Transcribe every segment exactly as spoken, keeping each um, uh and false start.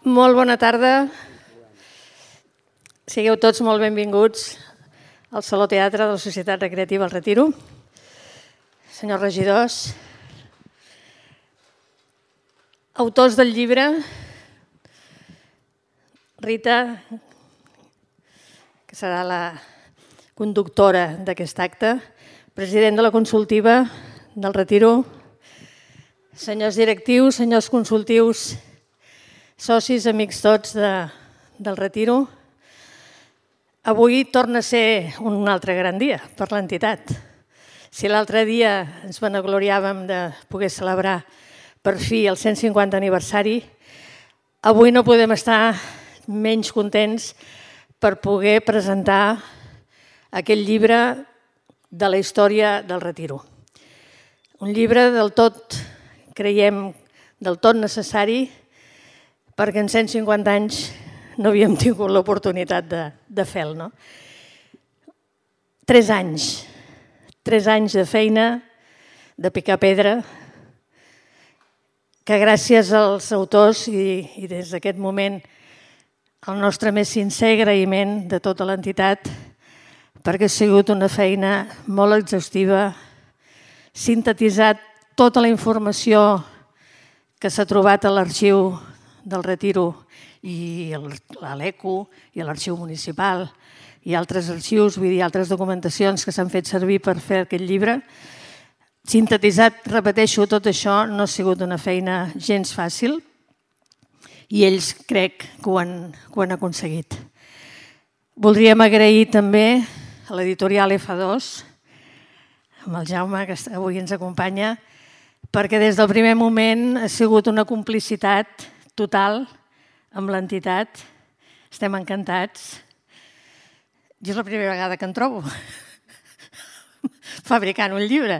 Molt bona tarda. Sigueu tots molt benvinguts al Saló Teatre de la Societat Recreativa El Retiro. Senyors regidors, autors del llibre, Rita, que serà la conductora d'aquest acte, president de la consultiva del Retiro, senyors directius, senyors consultius, socis, amics tots de, del Retiro. Avui torna a ser un altre gran dia per l'entitat. Si l'altre dia ens vanagloriàvem de poder celebrar per fi el cent cinquanta aniversari, avui no podem estar menys contents per poder presentar aquest llibre de la història del Retiro. Un llibre del tot, creiem, del tot necessari, perquè en cent cinquanta anys no havíem tingut l'oportunitat de, de fer-lo. No? Tres anys, tres anys de feina, de picar pedra, que gràcies als autors i, i des d'aquest moment el nostre més sincer agraïment de tota l'entitat, perquè ha sigut una feina molt exhaustiva, sintetitzat tota la informació que s'ha trobat a l'arxiu del Retiro i a l'ECO i a l'arxiu municipal i altres arxius, vull dir, altres documentacions que s'han fet servir per fer aquest llibre. Sintetitzat, repeteixo, tot això no ha sigut una feina gens fàcil i ells crec que ho han, que ho han aconseguit. Voldríem agrair també a l'editorial F dos, amb el Jaume, que avui ens acompanya, perquè des del primer moment ha sigut una complicitat total amb l'entitat. Estem encantats. Jo és la primera vegada que em trobo fabricant un llibre.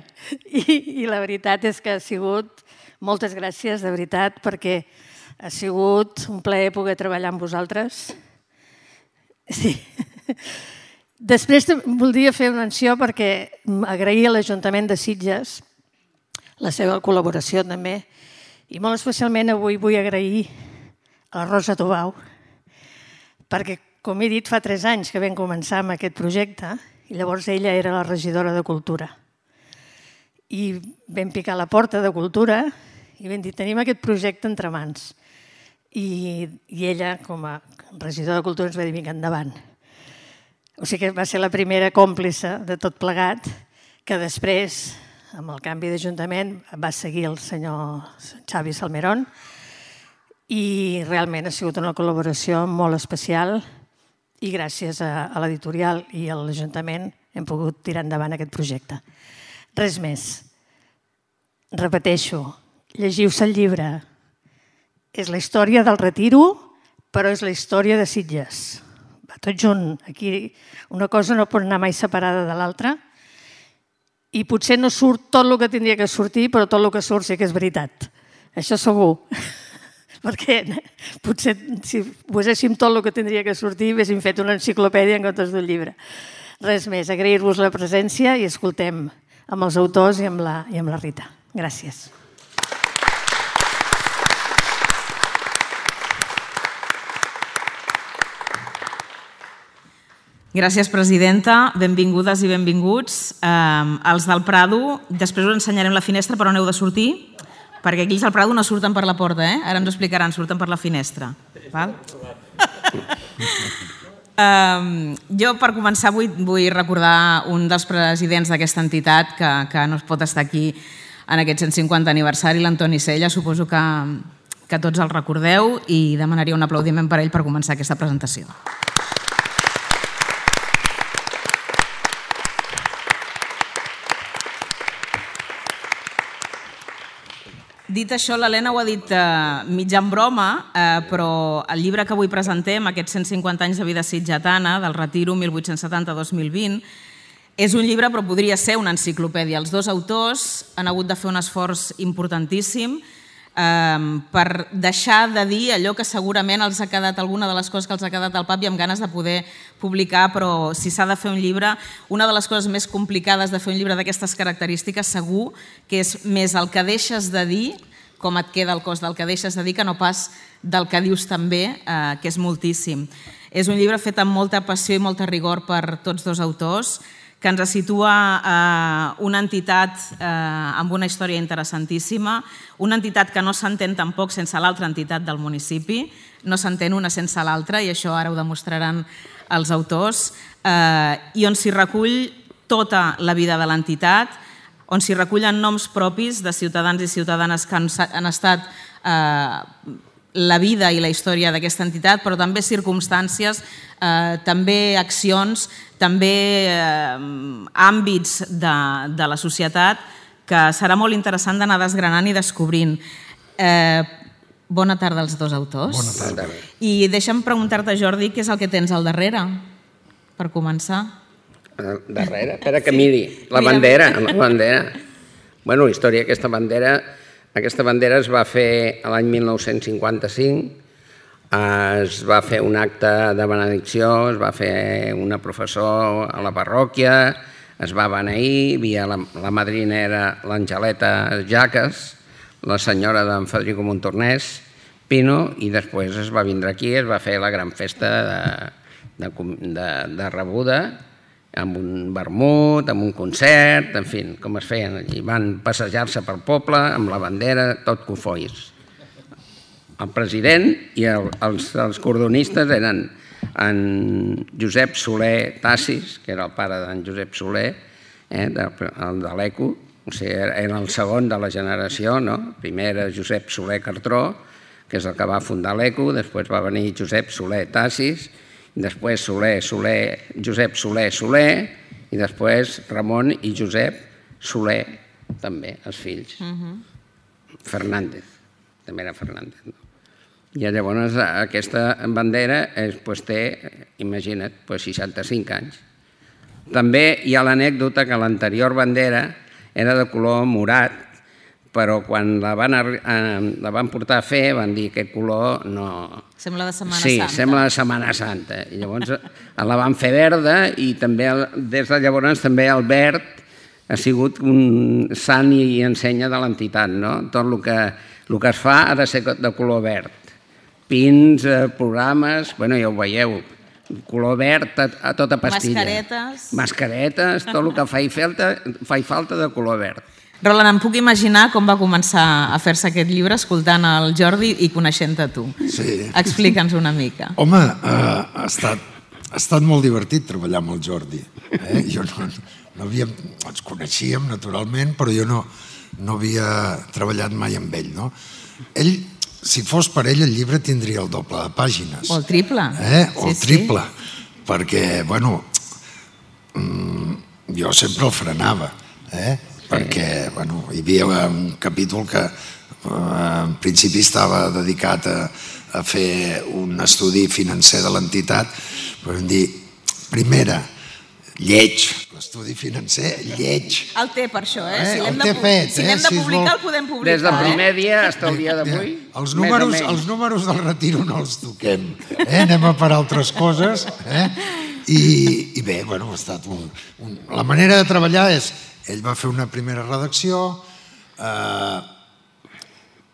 I, i la veritat és que ha sigut, moltes gràcies, de veritat, perquè ha sigut un plaer poder treballar amb vosaltres. Sí. Després voldria fer una menció perquè agrair a l'Ajuntament de Sitges la seva col·laboració també. I molt especialment avui vull agrair a la Rosa Tobau, perquè, com he dit, fa tres anys que vam començar amb aquest projecte i llavors ella era la regidora de Cultura. I vam picar a la porta de Cultura i vam dir, tenim aquest projecte entre mans. I, i ella, com a regidora de Cultura, ens va dir, vinga, endavant. O sigui que va ser la primera còmplice de tot plegat, que després, amb el canvi d'Ajuntament, va seguir el senyor Xavi Salmerón i realment ha sigut una col·laboració molt especial i gràcies a, a l'editorial i a l'Ajuntament hem pogut tirar endavant aquest projecte. Res més. Repeteixo, llegiu-se el llibre. És la història del Retiro, però és la història de Sitges. Va tot junt. Aquí una cosa no pot anar mai separada de l'altra. I potser no surt tot el que tindria que sortir, però tot el que surt sí que és veritat. Això segur. Perquè potser si poséssim tot el que tindria que sortir haguéssim fet una enciclopèdia en comptes d'un llibre. Res més, agrair-vos la presència i escoltem amb els autors i amb la, i amb la Rita. Gràcies. Gràcies, presidenta. Benvingudes i benvinguts. Eh, els del Prado, després us ensenyarem la finestra per on heu de sortir, perquè aquí els del Prado no surten per la porta, eh? Ara ens ho explicaran, surten per la finestra. Val? eh, jo, per començar, vull, vull recordar un dels presidents d'aquesta entitat que, que no es pot estar aquí en aquest cent cinquanta aniversari, l'Antoni Sella. Suposo que, que tots el recordeu i demanaria un aplaudiment per ell per començar aquesta presentació. Dit això, l'Helena ho ha dit eh, mitjà en broma, eh, però el llibre que avui presentem, aquests cent cinquanta anys de vida sitgetana, del Retiro mil vuit-cents setanta a dos mil vint, és un llibre però podria ser una enciclopèdia. Els dos autors han hagut de fer un esforç importantíssim per deixar de dir allò que segurament els ha quedat, alguna de les coses que els ha quedat al pap i amb ganes de poder publicar, però si s'ha de fer un llibre, una de les coses més complicades de fer un llibre d'aquestes característiques segur que és més el que deixes de dir com et queda el cos del que deixes de dir, que no pas del que dius també, eh, que és moltíssim. És un llibre fet amb molta passió i molta rigor per tots dos autors, que ens situa eh, una entitat eh, amb una història interessantíssima, una entitat que no s'entén tampoc sense l'altra entitat del municipi, no s'entén una sense l'altra, i això ara ho demostraran els autors, eh, i on s'hi recull tota la vida de l'entitat, on s'hi recullen noms propis de ciutadans i ciutadanes que han, han estat eh, la vida i la història d'aquesta entitat, però també circumstàncies, eh, també accions, també eh, àmbits de, de la societat que serà molt interessant d'anar desgranant i descobrint. Eh, bona tarda als dos autors. Bona tarda. I deixa'm preguntar-te, Jordi, què és el que tens al darrere, per començar? Darrere? Espera que miri. La bandera. La bandera. Bueno, la història d'aquesta bandera... Aquesta bandera es va fer l'any mil nou-cents cinquanta-cinc, es va fer un acte de benedicció, es va fer una professor a la parròquia, es va beneir, havia la, la madrina era l'Angeleta Jaques, la senyora d'en Federico Montornès, Pino, i després es va vindre aquí, es va fer la gran festa de, de, de, de rebuda, amb un vermut, amb un concert, en fi, com es feien. I van passejar-se pel poble amb la bandera, tot cofois. El president i el, els, els cordonistes eren en Josep Soler Tassis, que era el pare d'en Josep Soler, eh, de, el de l'Eco, o sigui, era el segon de la generació, no? Primer era Josep Soler Cartró, que és el que va fundar l'Eco, després va venir Josep Soler Tassis, després Soler, Soler, Josep Soler, Soler, i després Ramon i Josep Soler, també, els fills. Uh-huh. Fernández, també era Fernández. No? I llavors aquesta bandera és, pues, té, imagina't, pues, seixanta-cinc anys. També hi ha l'anècdota que l'anterior bandera era de color morat, però quan la van, la van portar a fer van dir que aquest color no... Sembla de Setmana sí, Santa. Sí, sembla de Setmana Santa. I llavors la van fer verda i també des de llavors també el verd ha sigut un sant i ensenya de l'entitat, no? Tot el que, el que es fa ha de ser de color verd. Pins, programes, bueno, ja ho veieu, color verd a, a tota pastilla. Mascaretes. Mascaretes, tot el que fa i falta, fa i falta de color verd. Roland, em puc imaginar com va començar a fer-se aquest llibre escoltant el Jordi i coneixent-te tu. Sí. Explica'ns una mica. Home, eh, ha, estat, ha estat molt divertit treballar amb el Jordi. Eh? Jo no, no havia, ens coneixíem naturalment, però jo no, no havia treballat mai amb ell. No? Ell, si fos per ell, el llibre tindria el doble de pàgines. O el triple. Eh? O sí, el triple. Sí. Perquè, bueno, jo sempre el frenava. Eh? Perquè bueno, hi havia un capítol que eh, en principi estava dedicat a, a fer un estudi financer de l'entitat, però vam dir, primera, lleig, l'estudi financer, lleig. El té per això, eh? eh? Si l'hem de, fet, si eh? de publicar, si el podem publicar. Des del primer dia fins al dia d'avui, els números, els números del retiro no els toquem, eh? Anem a per altres coses. Eh? I, I bé, bueno, ha estat un, un... La manera de treballar és... Ell va fer una primera redacció, eh,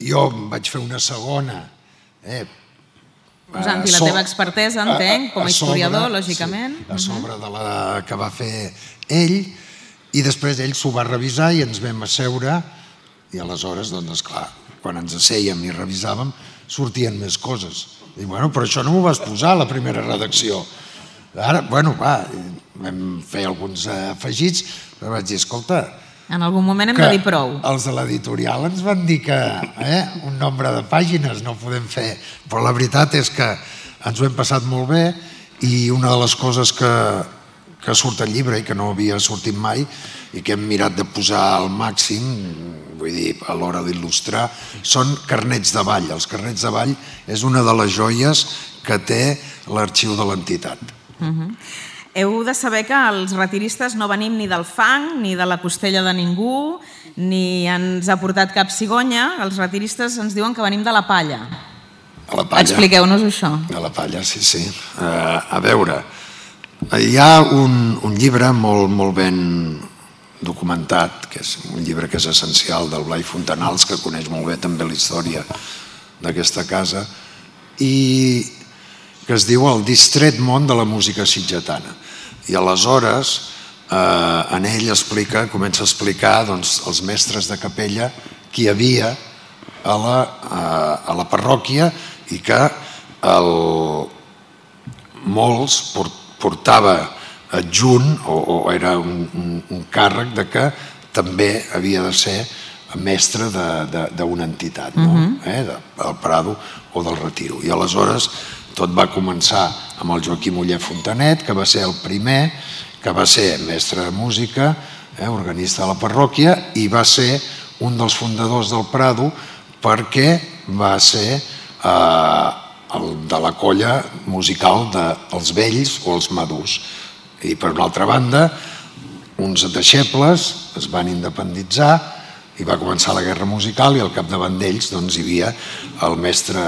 jo vaig fer una segona. Eh, Posant-hi la teva expertesa, entenc, com a historiador, lògicament. Sí, a sobre de la que va fer ell, i després ell s'ho va revisar i ens vam asseure, i aleshores, doncs, esclar, quan ens assèiem i revisàvem, sortien més coses. I bueno, però això no m'ho vas posar a la primera redacció. Ara, bueno, va, vam fer alguns afegits, però vaig dir, escolta... En algun moment hem de dir prou. Els de l'editorial ens van dir que eh, un nombre de pàgines no podem fer, però la veritat és que ens ho hem passat molt bé i una de les coses que, que surt al llibre i que no havia sortit mai i que hem mirat de posar al màxim, vull dir, a l'hora d'il·lustrar, són carnets de ball. Els carnets de ball és una de les joies que té l'arxiu de l'entitat. Uh-huh. Heu de saber que els retiristes no venim ni del fang, ni de la costella de ningú, ni ens ha portat cap cigonya. Els retiristes ens diuen que venim de la palla. A la palla. Expliqueu-nos això. A la palla, sí, sí. Uh, a veure, hi ha un, un llibre molt, molt ben documentat que és un llibre que és essencial, del Blai Fontanals, que coneix molt bé també la història d'aquesta casa, i que es diu El distret món de la música sitgetana. I aleshores eh, en ell explica, comença a explicar doncs, els mestres de capella que hi havia a la, a, a la parròquia i que el, molts portava adjunt o, o era un, un, un càrrec de que també havia de ser mestre d'una entitat, no? uh-huh. eh, del Prado o del Retiro. I aleshores tot va començar amb el Joaquim Oller Fontanet, que va ser el primer, que va ser mestre de música, eh, organista de la parròquia, i va ser un dels fundadors del Prado perquè va ser eh, el de la colla musical dels Vells o els Madurs. I per una altra banda, uns deixebles es van independitzar i va començar la guerra musical i al capdavant d'ells doncs, hi havia el mestre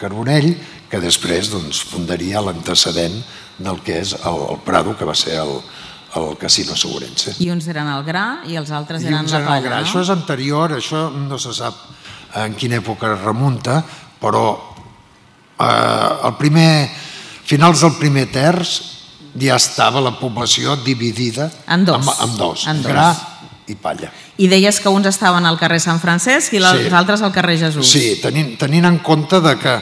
Carbonell, que després doncs, fundaria l'antecedent del que és el, el Prado, que va ser el, el Casino Segurense. I uns eren el gra i els altres I eren la palla, gra. no? Això és anterior, això no se sap en quina època es remunta, però eh, el primer, finals del primer terç ja estava la població dividida en dos, en, en dos, en dos. Gra i palla. I deies que uns estaven al carrer Sant Francesc i els sí. altres al carrer Jesús. Sí, tenint, tenint en compte de que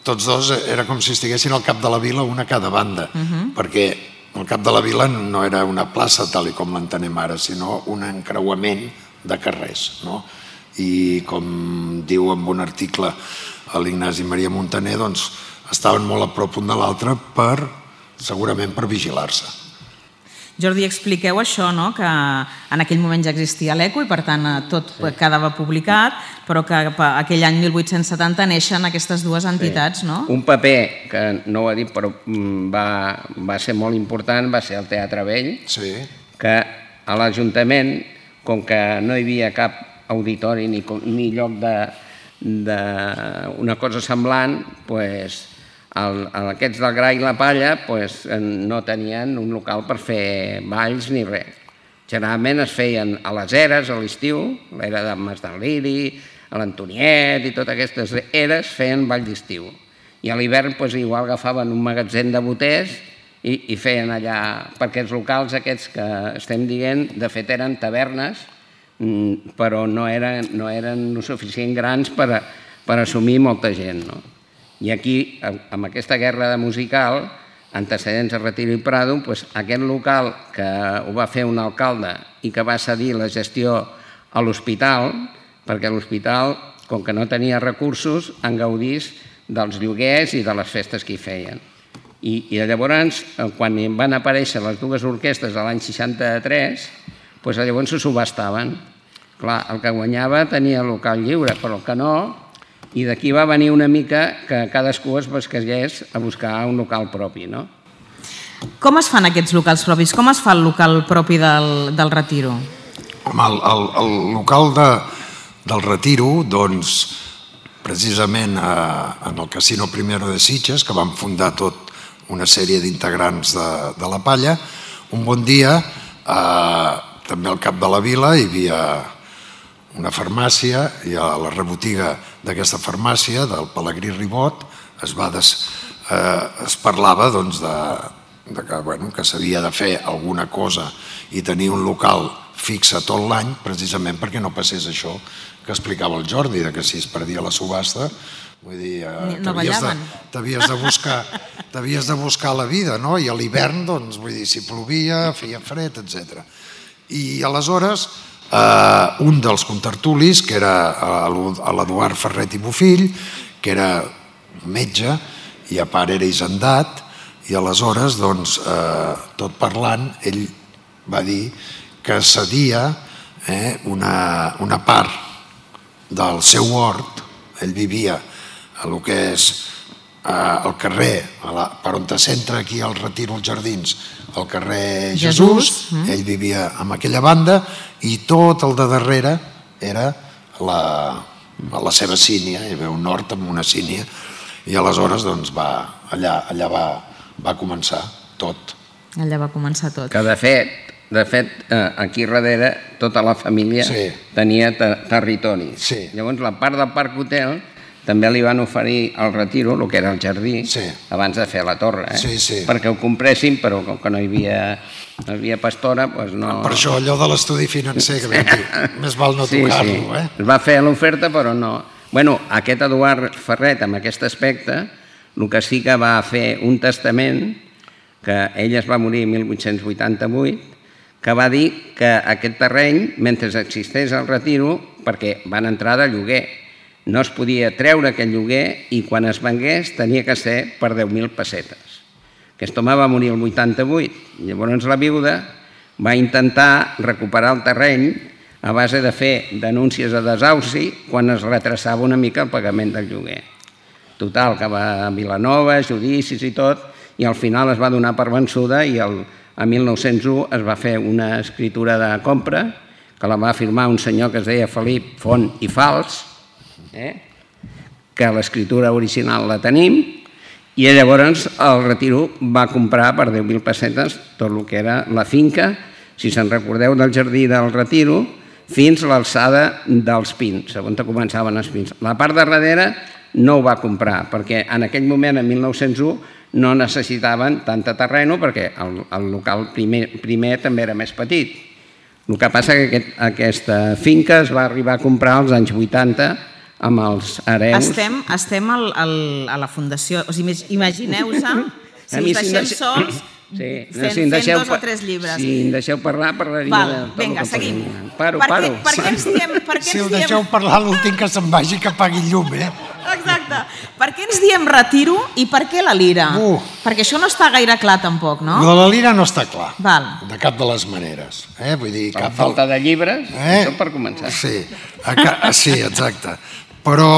tots dos era com si estiguessin al cap de la vila, una a cada banda, uh-huh. perquè el cap de la vila no era una plaça tal i com l'entenem ara, sinó un encreuament de carrers, no? I com diu en un article l'Ignasi Maria Montaner, doncs estaven molt a prop un de l'altre per, segurament per vigilar-se. Jordi, expliqueu això, no? Que en aquell moment ja existia l'Eco i per tant tot sí. quedava publicat, però que aquell any mil vuit-cents setanta neixen aquestes dues entitats, sí. no? Un paper que no ho ha dit però va, va ser molt important va ser el Teatre Vell, sí. que a l'Ajuntament, com que no hi havia cap auditori ni, ni lloc d'una cosa semblant, pues, el, aquests del gra i la palla pues, no tenien un local per fer balls ni res. Generalment es feien a les eres, a l'estiu, l'era de Mas del Liri, a l'Antoniet i totes aquestes eres feien ball d'estiu. I a l'hivern pues, igual agafaven un magatzem de boters i, i feien allà, perquè els locals aquests que estem dient, de fet eren tavernes, però no eren, no eren lo suficient grans per, a, per assumir molta gent. No? I aquí, amb aquesta guerra musical, antecedents a Retiro i Prado, doncs aquest local que ho va fer un alcalde i que va cedir la gestió a l'hospital, perquè l'hospital, com que no tenia recursos, en gaudís dels lloguers i de les festes que hi feien. I, i llavors, quan van aparèixer les dues orquestres a l'any seixanta-tres, doncs llavors se subastaven. Clar, el que guanyava tenia el local lliure, però el que no, i d'aquí va venir una mica que cadascú es basqués a buscar un local propi, no? Com es fan aquests locals propis? Com es fa el local propi del, del Retiro? Home, el, el, el local de, del Retiro, doncs, precisament eh, en el Casino Primero de Sitges, que van fundar tot una sèrie d'integrants de, de la palla, un bon dia, eh, també al cap de la vila hi havia una farmàcia i a la rebotiga d'aquesta farmàcia, del Pelegrí Ribot, es, va des, eh, es parlava doncs, de, de que, bueno, que s'havia de fer alguna cosa i tenir un local fixe tot l'any, precisament perquè no passés això que explicava el Jordi, de que si es perdia la subhasta, vull dir, eh, no ballaven. T'havies de, de, buscar, t'havies de buscar la vida, no? I a l'hivern, doncs, vull dir, si plovia, feia fred, etcètera. I aleshores eh, un dels contertulis, que era l'Eduard Ferret i Bofill, que era metge i a part era hisendat, i aleshores, doncs, eh, tot parlant, ell va dir que cedia eh, una, una part del seu hort, ell vivia a el que és eh, el carrer, a la, per on te centra aquí al Retiro, als Jardins, al carrer Jesús, Jesús. Ell vivia en aquella banda i tot el de darrere era la, la seva sínia, hi havia un hort amb una sínia i aleshores doncs, va, allà, allà va, va començar tot. Allà va començar tot. Que de fet de fet, aquí darrere tota la família sí. tenia ter territori. Sí. Llavors, la part del Parc Hotel també li van oferir al Retiro, el que era el jardí, sí. abans de fer la torre, eh? sí, sí. perquè ho compressin, però com que no hi havia, no hi havia pastora, doncs no... Per això allò de l'estudi financer, que vam dir, més val no sí, tocar-lo. Sí. Eh? Es va fer l'oferta, però no... Bueno, aquest Eduard Ferret, amb aquest aspecte, el que sí que va fer un testament, que ell es va morir en mil vuit-cents vuitanta-vuit, que va dir que aquest terreny, mentre existeix el Retiro, perquè van entrar de lloguer, no es podia treure aquest lloguer i quan es vengués tenia que ser per deu mil pessetes. Aquest home va morir el vuitanta-vuit. Llavors la viuda va intentar recuperar el terreny a base de fer denúncies de desauci quan es retrasava una mica el pagament del lloguer. Total, que va a Vilanova, judicis i tot, i al final es va donar per vençuda i el, a mil nou-cents u es va fer una escritura de compra que la va firmar un senyor que es deia Felip Font i Fals, eh? que l'escriptura original la tenim, i llavors el Retiro va comprar per deu mil pessetes tot el que era la finca, si se'n recordeu, del jardí del Retiro, fins a l'alçada dels pins, on començaven els pins. La part de darrere no ho va comprar, perquè en aquell moment, en mil nou-cents u, no necessitaven tanta terreno, perquè el, el local primer, primer també era més petit. El que passa que aquest, aquesta finca es va arribar a comprar als anys vuitanta amb els hereus. Estem, estem al, al, a la fundació, o sigui, imagineu-vos si us deixem sols sí, fent, si fent dos o tres llibres. Si em deixeu parlar, parlaria Val, de tot vinga, el que seguim. Paro, per paro. Què, per què ens diem... Per què si ens el diem... deixeu parlar, l'últim que se'n vagi que pagui llum, eh? Exacte. Per què ens diem Retiro i per què la lira? Uh. Perquè això no està gaire clar tampoc, no? No, la lira no està clar, Val. de cap de les maneres. Eh? Vull dir, Per cap falta de llibres, eh? això per començar. Sí, a ca... sí, exacte. Però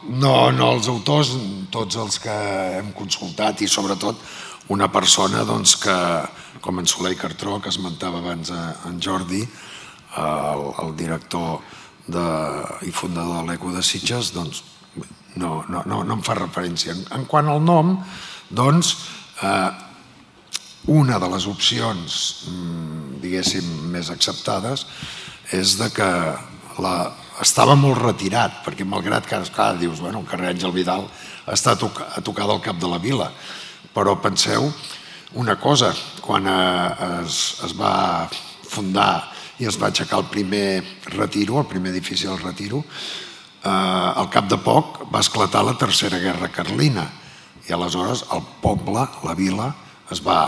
no, no els autors, tots els que hem consultat i sobretot una persona doncs, que, com en Soler Cartró, que esmentava abans en Jordi, el, el director de, i fundador de l'Eco de Sitges, doncs no, no, no, no em fa referència. En, en quant al nom, doncs, eh, una de les opcions, diguéssim, més acceptades és de que la, estava molt retirat, perquè malgrat que clar, dius, bueno, el carrer Àngel Vidal està a tocar, a tocar del cap de la vila, però penseu una cosa, quan es, es va fundar i es va aixecar el primer Retiro, el primer edifici del Retiro, eh, al cap de poc va esclatar la Tercera Guerra Carlina i aleshores el poble, la vila, es va,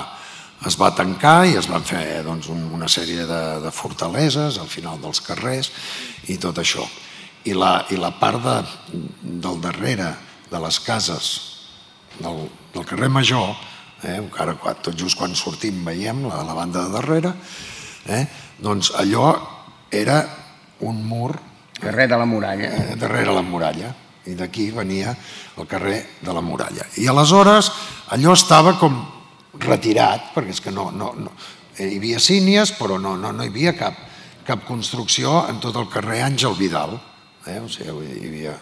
es va tancar i es van fer doncs, una sèrie de, de fortaleses al final dels carrers i tot això. I la, i la part de, del darrere de les cases del, del carrer Major, eh, encara tot just quan sortim veiem la, la banda de darrere, eh, doncs allò era un mur Carrer de la Muralla. Eh, darrere la muralla, i d'aquí venia el carrer de la Muralla. I aleshores allò estava com retirat, perquè és que no, no, no hi havia sínies, però no, no, no hi havia cap, cap construcció en tot el carrer Àngel Vidal. Eh? O sigui, hi havia...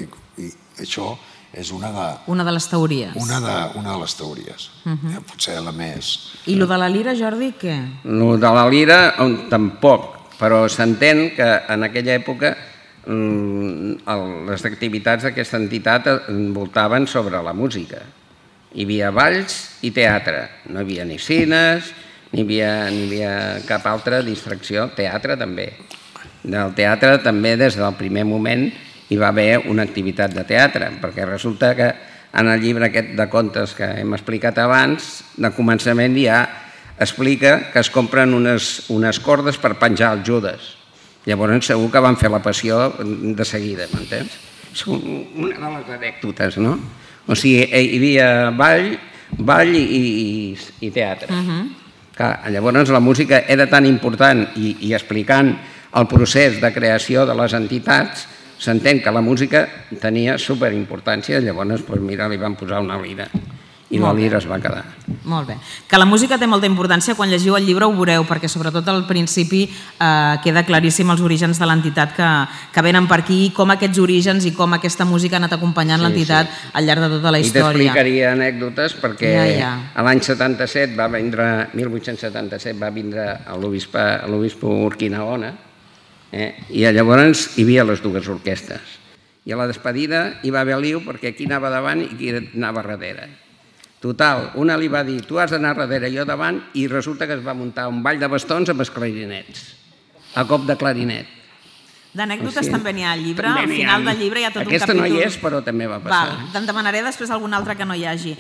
I, i això és una de... Una de les teories. Una de, una de les teories. Uh-huh. eh? Potser la més... I lo de la lira, Jordi, què? Lo de la lira, tampoc, però s'entén que en aquella època les activitats d'aquesta entitat envoltaven sobre la música. Hi havia balls i teatre. No hi havia ni cines, ni hi havia, ni hi havia cap altra distracció. Teatre també. Del teatre també des del primer moment hi va haver una activitat de teatre, perquè resulta que en el llibre aquest de contes que hem explicat abans, de començament ja explica que es compren unes, unes cordes per penjar els Judes. Llavors segur que van fer la passió de seguida, m'entens? És una de les anècdotes, no? O sigui, hi havia ball, ball i, i, i teatre. Uh-huh. Clar, llavors la música era tan important i, i explicant el procés de creació de les entitats, s'entén que la música tenia superimportància, llavors, doncs, mira, li van posar una lira i la lira es va quedar. Molt bé. Que la música té molta importància, quan llegiu el llibre ho veureu, perquè sobretot al principi eh, queda claríssim els orígens de l'entitat que, que venen per aquí, com aquests orígens i com aquesta música ha anat acompanyant sí, l'entitat sí. al llarg de tota la història. I t'explicaria anècdotes perquè ja, ja. a l'any setanta-set va vindre, mil vuit-cents setanta-set va vindre a l'obispo Urquinaona eh, i llavors hi havia les dues orquestes. I a la despedida hi va haver liu perquè qui anava davant i qui anava darrere. Total, una li va dir, tu has d'anar darrere, jo davant, i resulta que es va muntar un ball de bastons amb els clarinets, a cop de clarinet. D'anècdotes també n'hi ha al llibre, al final del llibre hi ha tot un capítol... Aquesta no hi és, però també va passar. Val, te'n demanaré després algun altre que no hi hagi.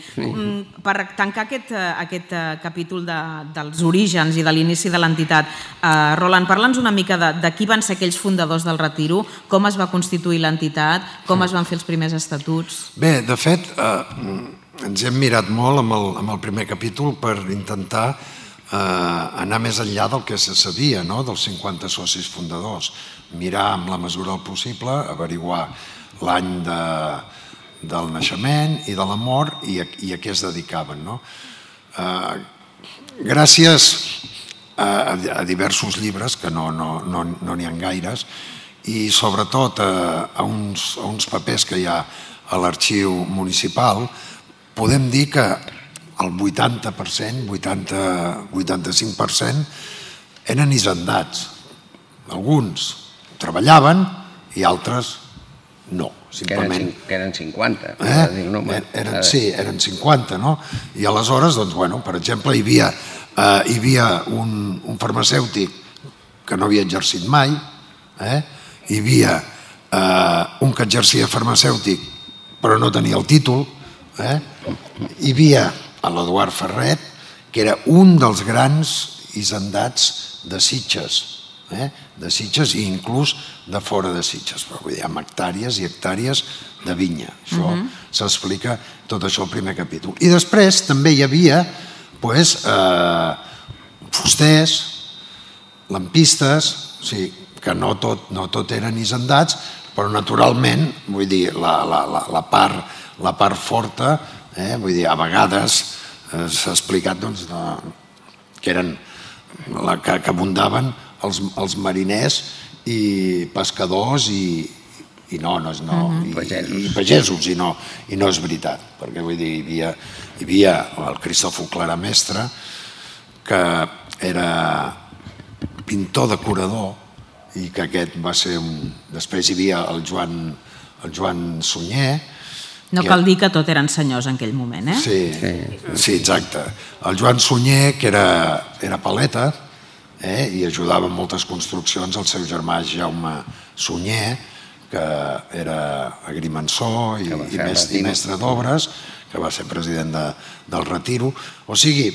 Per tancar aquest, aquest capítol de, dels orígens i de l'inici de l'entitat, eh, Roland, parla'ns una mica de, de qui van ser aquells fundadors del Retiro, com es va constituir l'entitat, com es van fer els primers estatuts... Bé, de fet, eh, ens hem mirat molt amb el, amb el primer capítol per intentar eh, anar més enllà del que se sabia, no?, dels cinquanta socis fundadors. Mirar amb la mesura del possible, averiguar l'any de, del naixement i de la mort i a, i a què es dedicaven. No? Eh, gràcies a, a diversos llibres, que no n'hi no, no, no ha gaires, i sobretot a, a, uns, a uns papers que hi ha a l'arxiu municipal, podem dir que el vuitanta per cent, vuitanta, vuitanta-cinc per cent, eren hisendats. Alguns treballaven i altres no, simplement. Que eren cinquanta. Eh? Eren, sí, eren cinquanta, no? I aleshores, doncs, bueno, per exemple, hi havia, eh, hi havia un, un farmacèutic que no havia exercit mai, eh? Hi havia eh, un que exercia farmacèutic però no tenia el títol, eh? Hi havia l'Eduard Ferret, que era un dels grans hisendats de Sitges, Eh? de Sitges i inclús de fora de Sitges, però vull dir, amb hectàrees i hectàrees de vinya. Això uh-huh. s'explica tot això al primer capítol. I després també hi havia pues, eh, fusters, lampistes, o sigui, que no tot, no tot eren hisendats, però naturalment, vull dir, la, la, la, la, part, la part forta, eh, vull dir, a vegades eh, s'ha explicat doncs, de, que eren la, que, que abundaven els, els mariners i pescadors i, i no, no, no uh-huh. i, pagesos. i pagesos, i no, i no és veritat, perquè vull dir, hi havia, hi havia el Cristòfol Claramestre, que era pintor decorador, i que aquest va ser un... Després hi havia el Joan, el Joan Sunyer. No cal dir que tot eren senyors en aquell moment, eh? Sí, sí, sí exacte. El Joan Sunyer, que era, era paleta, eh, i ajudava en moltes construccions el seu germà Jaume Sunyer, que era agrimensor i, i, mestre, i mestre d'obres, que va ser president de, del Retiro. O sigui,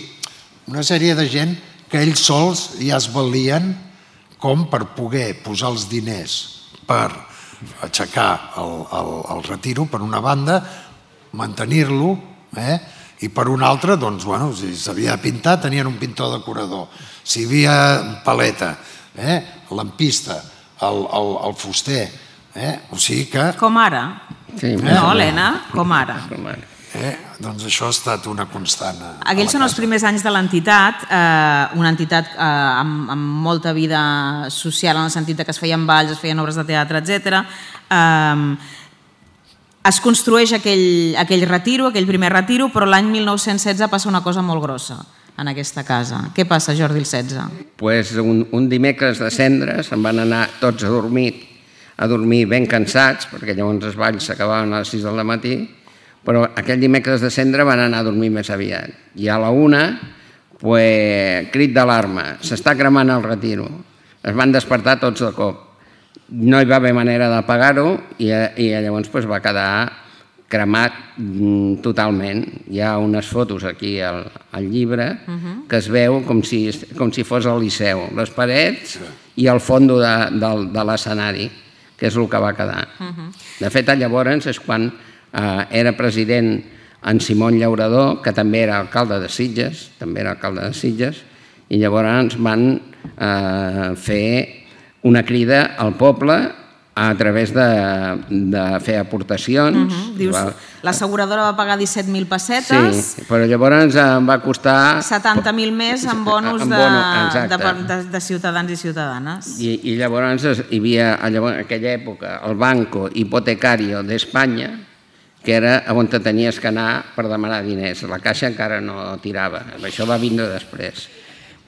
una sèrie de gent que ells sols ja es valien com per poder posar els diners per aixecar el, el, el Retiro, per una banda, mantenir-lo, eh? I per una altra, doncs, bueno, si s'havia de pintar, tenien un pintor decorador. Si hi havia paleta, eh? Lampista, el, el, el fuster, eh? O sigui que... Com ara. Sí, eh? No, Helena, com ara. Eh? Doncs això ha estat una constant. Aquells són els primers anys de l'entitat, eh, una entitat eh, amb, amb molta vida social, en el sentit que es feien balls, es feien obres de teatre, etcètera. Eh, es construeix aquell, aquell retiro, aquell primer retiro, però l'any mil nou-cents setze passa una cosa molt grossa en aquesta casa. Què passa, Jordi, el setze? Pues un, un dimecres de cendres se'n van anar tots a dormir, a dormir ben cansats, perquè llavors els balls s'acabaven a les sis del matí, però aquell dimecres de cendre van anar a dormir més aviat. I a la una, pues, crit d'alarma, s'està cremant el retiro. Es van despertar tots de cop. No hi va haver manera d'apagar-ho i, i llavors pues, va quedar cremat totalment. Hi ha unes fotos aquí al, al llibre uh-huh. que es veu com si, com si fos el Liceu, les parets i el fons de, de, de l'escenari, que és el que va quedar. Uh-huh. De fet, llavors és quan eh, era president en Simón Llaurador, que també era alcalde de Sitges, també era alcalde de Sitges, i llavors van eh, fer una crida al poble a través de, de fer aportacions. Uh-huh. Dius, va... l'asseguradora va pagar disset mil pessetes. Sí, però llavors em va costar... setanta mil més en bonus en de, bono, de, de, de ciutadans i ciutadanes. I, i llavors hi havia, llavors, en aquella època, el Banco Hipotecario d'Espanya, que era on tenies que anar per demanar diners. La Caixa encara no tirava. Això va vindre després.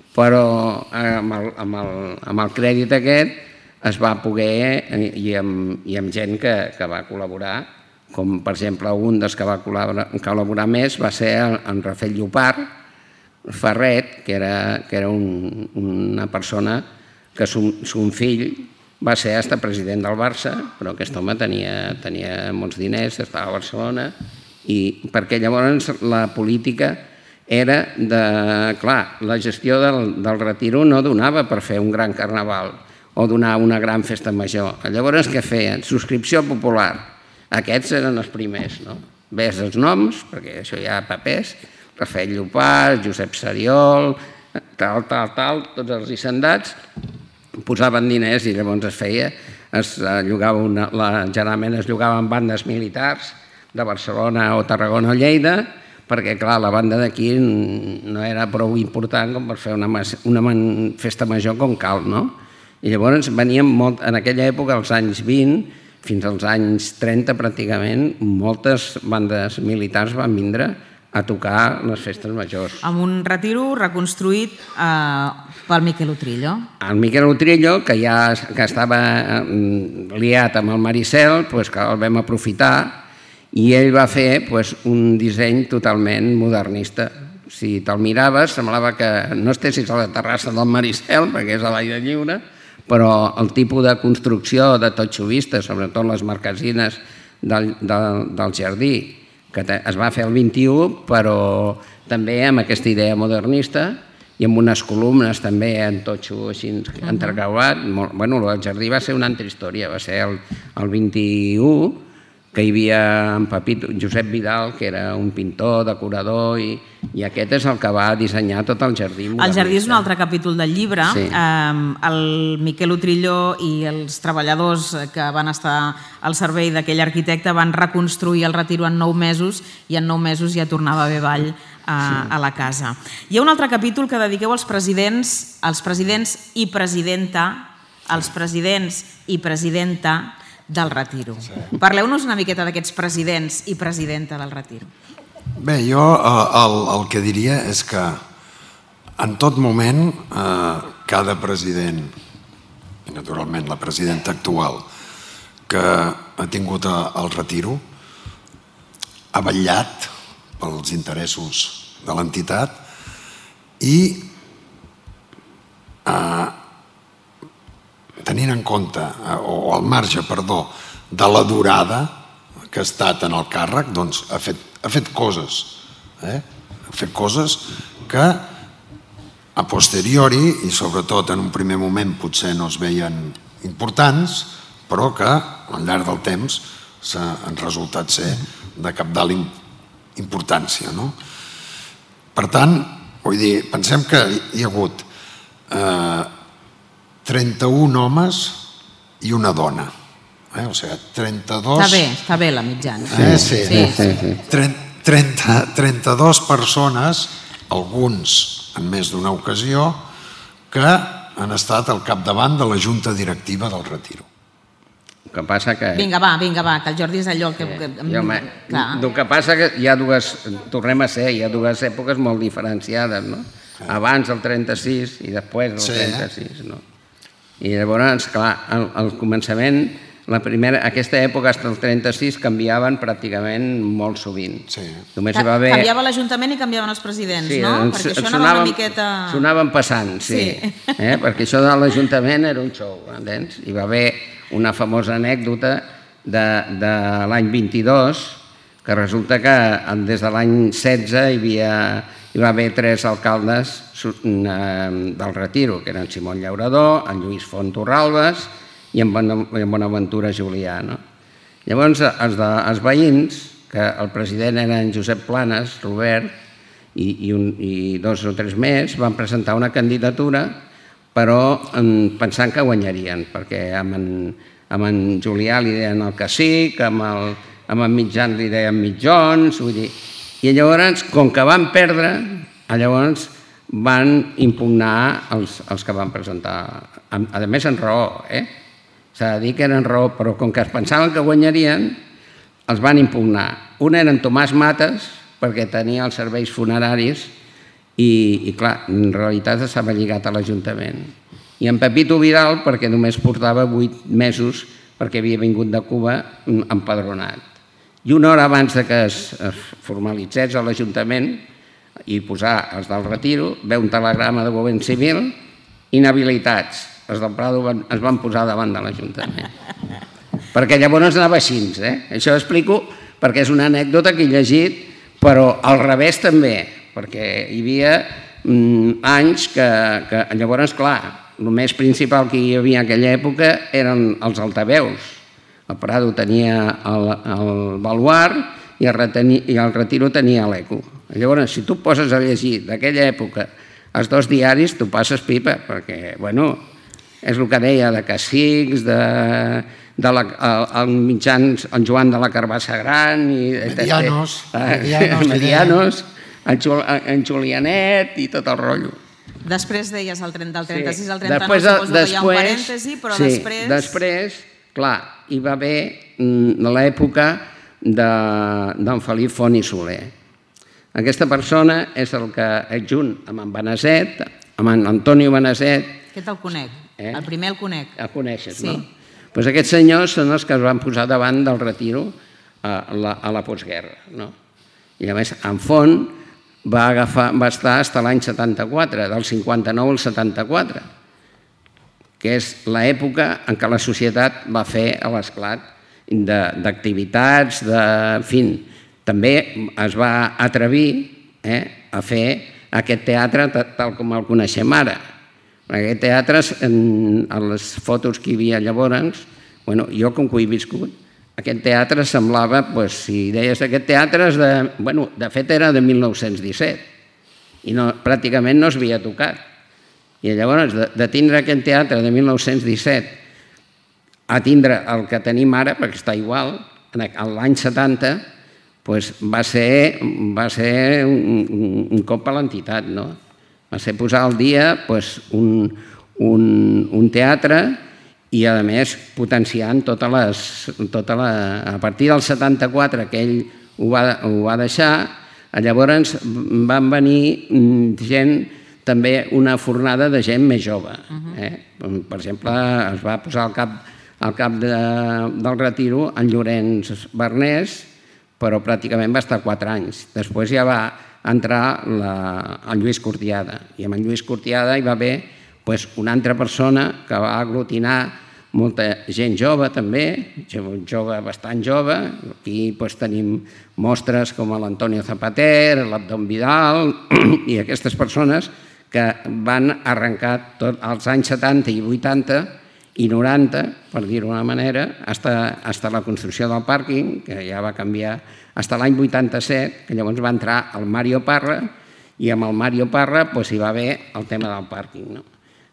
Però amb el, amb el, amb el crèdit aquest es va poder, i amb, i amb gent que, que va col·laborar, com per exemple un dels que va col·laborar, col·laborar més va ser en Rafael Llopart Ferret, que era, que era un, una persona que son, son fill va ser hasta president del Barça, però aquest home tenia, tenia molts diners, estava a Barcelona, i perquè llavors la política era de... Clar, la gestió del, del retiro no donava per fer un gran carnaval o donar una gran festa major. Llavors què feien? Subscripció popular. Aquests eren els primers, no? Ves els noms, perquè això hi ha papers, Rafael Llopart, Josep Seriol, tal, tal, tal, tots els hisendats, posaven diners i llavors es feia, es llogava una, la, generalment es llogaven bandes militars de Barcelona o Tarragona o Lleida, perquè clar, la banda d'aquí no era prou important com per fer una, una festa major com cal, no? I llavors venien molt, en aquella època, als anys vint, fins als anys trenta pràcticament, moltes bandes militars van vindre a tocar les festes majors. Amb un retiro reconstruït eh, pel Miquel Utrillo. El Miquel Utrillo, que ja que estava liat amb el Maricel, doncs que el vam aprofitar i ell va fer doncs, un disseny totalment modernista. Si te'l miraves, semblava que no estessis a la terrassa del Maricel, perquè és a l'aire lliure, però el tipus de construcció de totxo vista, sobretot les marquesines del, del, del jardí, que es va fer el vint-i-u, però també amb aquesta idea modernista i amb unes columnes també en totxo així entrecreuat. Bueno, el jardí va ser una altra història, va ser el, el vint-i-u, que hi havia en Pepito, Josep Vidal, que era un pintor, decorador, i, i aquest és el que va dissenyar tot el jardí modernista. El jardí és un altre capítol del llibre. Sí. Eh, el Miquel Utrillo i els treballadors que van estar al servei d'aquell arquitecte van reconstruir el retiro en nou mesos i en nou mesos ja tornava a haver ball a, sí. a la casa. Hi ha un altre capítol que dediqueu als presidents, als presidents i presidenta, als presidents i presidenta del retiro. Sí. Parleu-nos una miqueta d'aquests presidents i presidenta del retiro. Bé, jo el, el que diria és que en tot moment eh, cada president, i naturalment la presidenta actual, que ha tingut el retiro, ha vetllat pels interessos de l'entitat i eh, tenint en compte, o al marge, perdó, de la durada que ha estat en el càrrec, doncs ha fet, ha fet coses, eh? ha fet coses que a posteriori, i sobretot en un primer moment potser no es veien importants, però que al llarg del temps han resultat ser de cabdal importància. No? Per tant, vull dir, pensem que hi ha hagut eh, trenta-un homes i una dona. Eh? O sigui, trenta-dos... Està bé, està bé la mitjana. Eh? Sí, sí, sí, sí. trenta, trenta-dos persones, alguns en més d'una ocasió, que han estat al capdavant de la junta directiva del retiro. El que passa que... Vinga, va, vinga, va, que el Jordi és allò que... Sí. Jo, me... El que passa que hi ha dues... Tornem a ser, hi ha dues èpoques molt diferenciades, no? Abans del trenta-sis i després del sí, trenta-sis, no? I llavors, clar, al, al començament, la primera, aquesta època, fins al trenta-sis, canviaven pràcticament molt sovint. Sí. Només hi va haver... Canviava l'Ajuntament i canviaven els presidents, sí, no? Perquè això sonaven, anava una miqueta... Sonaven passant, sí. sí. Eh? Perquè això de l'Ajuntament era un show, entens? Hi va haver una famosa anècdota de, de l'any vint-i-dos, que resulta que des de l'any setze hi havia... Hi va haver tres alcaldes del retiro, que eren Simón Llaurador, en Lluís Font Torralbes i en Bonaventura Julià. No? Llavors, els, de, els veïns, que el president era en Josep Planes, Robert, i, i, un, i dos o tres més, van presentar una candidatura, però pensant que guanyarien, perquè amb en, amb en Julià li deien el cacic, amb, el, amb en Mitjans li deien mitjons, vull dir... I llavors, com que van perdre, llavors van impugnar els, els que van presentar, a, a més en raó, eh? S'ha de dir que eren raó, però com que es pensaven que guanyarien, els van impugnar. Un era en Tomàs Mates, perquè tenia els serveis funeraris i, i clar, en realitat estava lligat a l'Ajuntament. I en Pepito Vidal, perquè només portava vuit mesos, perquè havia vingut de Cuba empadronat. I una hora abans de que es, es formalitzés a l'Ajuntament i posar els del retiro, ve un telegrama de govern civil, inhabilitats. Els del Prado van, es van posar davant de l'Ajuntament. Perquè llavors anava així, eh? Això ho explico perquè és una anècdota que he llegit, però al revés també, perquè hi havia mm, anys que, que llavors, clar, el més principal que hi havia en aquella època eren els altaveus. El Prado tenia el, el baluart i el, reteni, i el Retiro tenia l'eco. Llavors, si tu poses a llegir d'aquella època els dos diaris, tu passes pipa, perquè, bueno, és el que deia de cacics, de, de la, el, el mitjans, el Joan de la Carbassa Gran, i, Medianos, medianos, medianos el, Jul, el Julianet i tot el rotllo. Després deies el trenta, del trenta-sis al trenta-nou, després, suposo després, que hi ha un parèntesi, però sí, després... després, clar, hi va haver l'època d'en Felip Font i Soler. Aquesta persona és el que, junt amb en Beneset, amb en Antonio Beneset... Aquest el conec, eh? El primer el conec. El coneixes, sí. No? Pues aquests senyors són els que es van posar davant del Retiro a la, a la postguerra. No? I a més, en Font va, agafar, va estar fins a l'any setanta-quatre, del cinquanta-nou al setanta-quatre, que és l'època en què la societat va fer l'esclat d'activitats, de, en fi, també es va atrevir eh, a fer aquest teatre tal com el coneixem ara. Aquest teatre, en, en les fotos que hi havia llavors, bueno, jo com que ho he viscut, aquest teatre semblava, pues, si deies aquest teatre, és de, bueno, de fet era de mil nou-cents disset i no, pràcticament no s'havia tocat. I llavors, de, de tindre aquest teatre de mil nou-cents disset a tindre el que tenim ara, perquè està igual, l'any setanta, pues, va ser, va ser un, un, un cop a l'entitat, no? Va ser posar al dia pues, un, un, un teatre i, a més, potenciant totes les... Tota la, a partir del setanta-quatre, que ell ho va, ho va deixar, llavors van venir gent, també una fornada de gent més jove. Eh? Per exemple, es va posar al cap, al cap de, del Retiro en Llorenç Bernés, però pràcticament va estar quatre anys. Després ja va entrar la, en Lluís Cortiada. I amb en Lluís Cortiada hi va haver pues, una altra persona que va aglutinar molta gent jove també, jove bastant jove. Aquí pues, tenim mostres com l'Antonio Zapater, l'Abdon Vidal i aquestes persones que van arrencar tots els anys setanta i vuitanta i noranta, per dir-ho d'una manera, fins a la construcció del pàrquing, que ja va canviar fins a l'any vuitanta-set, que llavors va entrar el Mario Parra, i amb el Mario Parra doncs, hi va haver el tema del pàrquing. No?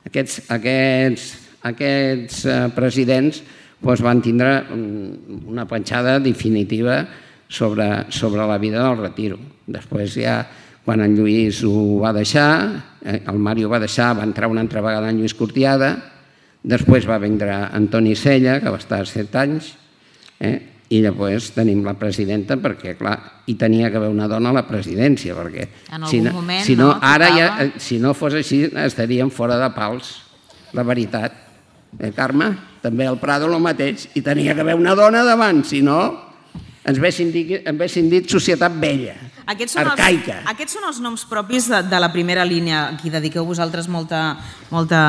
Aquests, aquests, aquests eh, presidents doncs, van tindre una penjada definitiva sobre, sobre la vida del Retiro. Després ja, quan en Lluís ho va deixar, eh, el Mario va deixar, va entrar una altra vegada en Lluís Cortiada, després va vindre Antoni Sella, que va estar set anys, eh? I després tenim la presidenta, perquè, clar, hi tenia que haver una dona a la presidència, perquè si no, moment, si no, no ara ja, si no fos així, estaríem fora de pals, la veritat. Eh, Carme? També al Prado el mateix, i tenia que haver una dona davant, si no ens haguessin dit, haguessin dit societat vella, aquests són arcaica. Els, aquests són els noms propis de, de la primera línia, aquí dediqueu vosaltres molta, molta,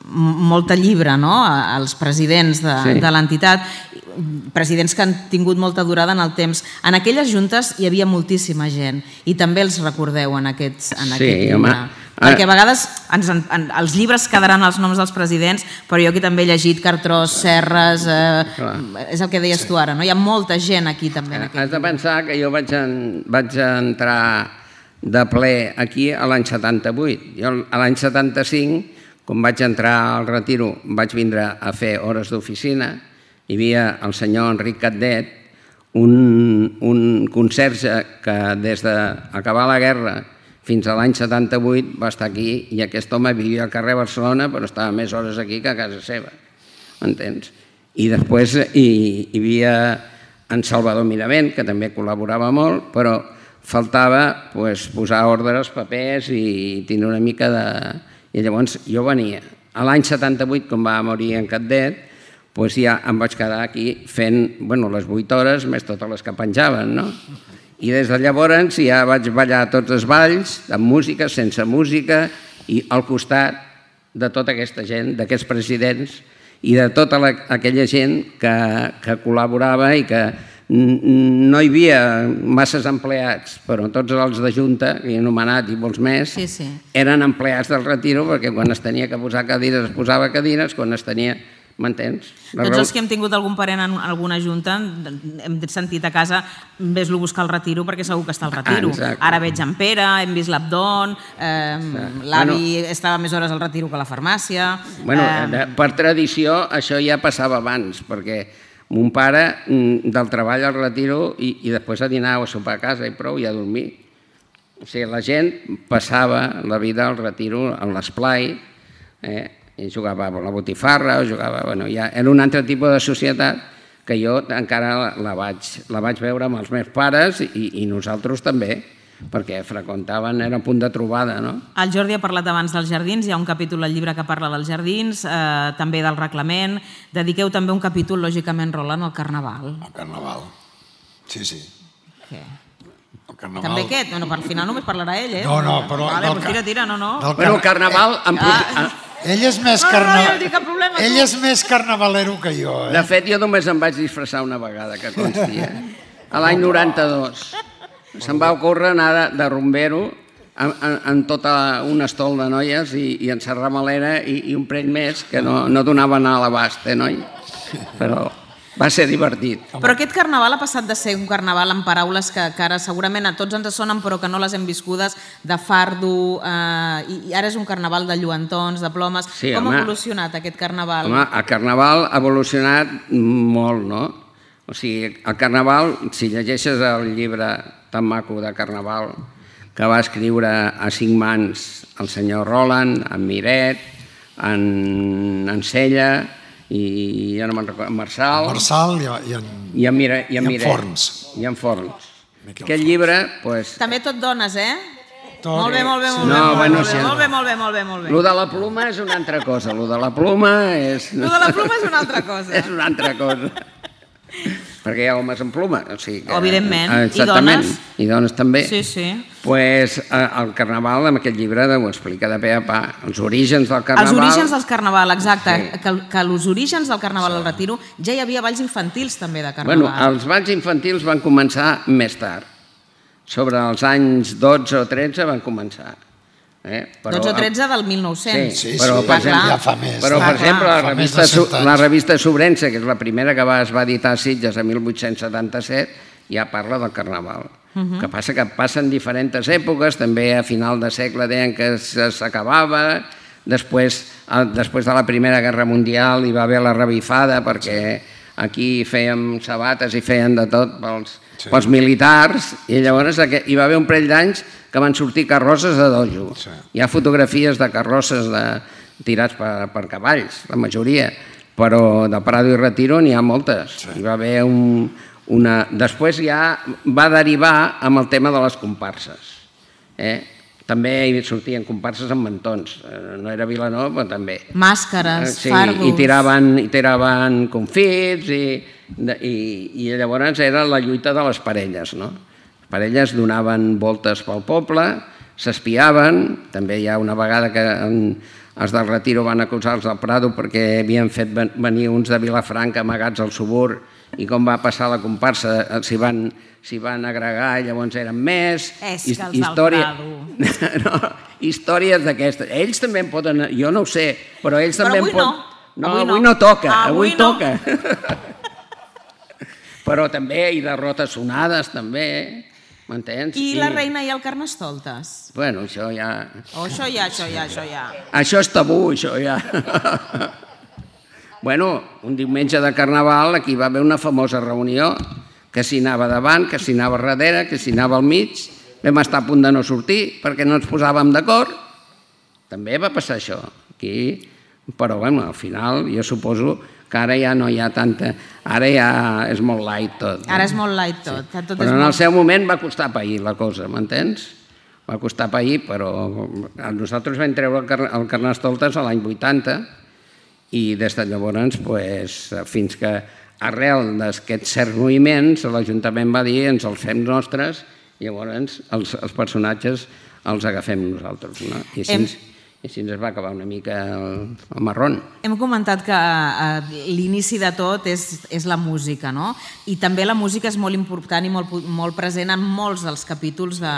molta llibre, no?, als presidents de, sí. de l'entitat, presidents que han tingut molta durada en el temps. En aquelles juntes hi havia moltíssima gent i també els recordeu en, aquests, en sí, aquest llibre. Home. Perquè a vegades ens, en, els llibres quedaran els noms dels presidents, però jo aquí també he llegit Cartrós, Serres, eh, és el que deies tu ara, no? Hi ha molta gent aquí també. En Has de pensar que jo vaig, en, vaig entrar de ple aquí a l'any setanta-vuit. Jo a l'any setanta-cinc, quan vaig entrar al retiro, vaig vindre a fer hores d'oficina, hi havia el senyor Enric Catdet, un, un conserge que des d'acabar la guerra fins a l'any setanta-vuit va estar aquí i aquest home vivia al carrer Barcelona però estava més hores aquí que a casa seva, m'entens? I després hi, hi havia en Salvador Miravent, que també col·laborava molt, però faltava pues, posar ordre als papers i tenir una mica de... I llavors jo venia. A l'any setanta-vuit, quan va morir en Catdet, pues ja em vaig quedar aquí fent bueno, les vuit hores més totes les que penjaven, no? I des de llavors ja vaig ballar tots els balls, amb música, sense música, i al costat de tota aquesta gent, d'aquests presidents, i de tota la, aquella gent que, que col·laborava i que no hi havia masses empleats, però tots els de Junta, que he anomenat i molts més, sí, sí. eren empleats del retiro perquè quan es tenia que posar cadires es posava cadires, quan es tenia... M'entens? Tots els que hem tingut algun parent en alguna junta hem sentit a casa ves-lo buscar al retiro perquè segur que està al retiro. Ah, ara veig en Pere, hem vist l'Abdon, eh, l'avi bueno, estava més hores al retiro que a la farmàcia... Bueno, eh... per tradició això ja passava abans, perquè mon pare del treball al retiro i, i després a dinar o a sopar a casa i prou i a dormir. O sigui, la gent passava la vida al retiro, a l'esplai, eh, i jugava a la botifarra, o jugava... Bueno, ja era un altre tipus de societat que jo encara la, la, vaig, la vaig veure amb els meus pares i, i nosaltres també, perquè freqüentaven, era un punt de trobada, no? El Jordi ha parlat abans dels jardins, hi ha un capítol al llibre que parla dels jardins, eh, també del reglament. Dediqueu també un capítol, lògicament, Roland, al Carnaval. El Carnaval, sí, sí. Què? El Carnaval... També què? No, per al final només parlarà ell, eh? No, no, però... Vale, doncs tira, tira, no, no. Bueno, el Carnaval... Ah. Ell és més, no, carna... no, no, no tinc cap problema, Ell és més carnavalero que jo, eh? De fet, jo només em vaig disfressar una vegada, que consti, eh? A l'any noranta-dos. Se'm va ocórrer anar de, de rumbero en, en, en tota un estol de noies i, i en Serra Malera i, i un parell més que no, no donaven a l'abast, eh, noi? Però va ser divertit. Però aquest carnaval ha passat de ser un carnaval amb paraules que, que ara segurament a tots ens sonen però que no les hem viscudes, de fardo, eh, i, i ara és un carnaval de lluentons, de plomes. Sí, com home, ha evolucionat aquest carnaval? Home, el carnaval ha evolucionat molt, no? O sigui, el carnaval, si llegeixes el llibre tan maco de carnaval que va escriure a cinc mans el senyor Roland, en Miret, en, en Sella i ja no me'n recordo, en Marçal, Marçal i, i en, i en, Mire, i en, i en Forns. I en Forns. Aquest llibre, pues... També tot dones, eh? Tot... Molt bé, molt bé, molt bé, No, molt, bueno, bé, sí. molt bé, molt bé, molt bé, molt bé. Lo de la pluma és una altra cosa, lo de la pluma és... Lo de la pluma és una altra cosa. És una altra cosa. Perquè hi ha homes amb pluma. O sigui que, evidentment. Exactament. I dones? I dones també. Sí, sí. Pues, el Carnaval, en aquest llibre, ho explica de pe a pa. Els orígens del Carnaval... Els orígens del Carnaval, exacte. Sí. Que, que els orígens del Carnaval al Retiro ja hi havia balls infantils també de Carnaval. Bueno, els balls infantils van començar més tard. Sobre els anys dotze o tretze van començar. Eh? Però, dotze o tretze del mil nou-cents. Sí, sí, però, sí, per exemple, ja fa més. Però, per exemple, la Fa més revista, de cent anys. la revista Sobrense, que és la primera que va, es va editar a Sitges a mil vuit-cents setanta-set, ja parla del Carnaval. Uh -huh. Que passa que passen diferents èpoques, també a final de segle deien que s'acabava, després, després de la Primera Guerra Mundial hi va haver la revifada perquè aquí fèiem sabates i feien de tot pels, sí. pels militars i llavors hi va haver un parell d'anys que van sortir carrosses de dojo. Sí. Hi ha fotografies de carrosses de, tirats per, per cavalls, la majoria, però de Prado i Retiro n'hi ha moltes. Sí. Hi va haver un, una... Després ja va derivar amb el tema de les comparses. Eh? També hi sortien comparses amb mantons. No era Vilanova, però també. Màscares, sí, fardos... I tiraven, i tiraven confits i, i, i llavors era la lluita de les parelles, no? Les parelles donaven voltes pel poble, s'espiaven, també hi ha una vegada que en, els del Retiro van acusar els del Prado perquè havien fet venir uns de Vilafranca amagats al subur i com va passar la comparsa s'hi van, s'hi van agregar i llavors eren més. És que els història... del Prado... no, històries d'aquestes. Ells també en poden... Jo no ho sé, però ells però també avui en poden... no. No, avui, avui no. no toca, ah, avui, avui no. toca. Però també hi derrotes sonades, també. m'entens? I la reina i el Carnestoltes? Bueno, això ja... Oh, això ja, això ja, això ja. Això és tabú, això ja. Bueno, un diumenge de Carnaval aquí va haver una famosa reunió, que s'hi anava davant, que s'hi anava darrere, que s'hi anava al mig, vam estar a punt de no sortir perquè no ens posàvem d'acord. També va passar això aquí, però bueno, al final jo suposo que ara ja no hi ha tanta... Ara ja és molt light tot. Ara és molt light tot. Sí. Però en el seu moment va costar pair la cosa, m'entens? Va costar pair, però nosaltres vam treure el Carnestoltes a l'any vuitanta i des de llavors, fins que arrel d'aquests certs moviments, l'Ajuntament va dir ens els fem nostres i llavors els personatges els agafem nosaltres. I així... I així ens va acabar una mica el, el marrón. Hem comentat que eh, l'inici de tot és, és la música, no? I també la música és molt important i molt, molt present en molts dels capítols de,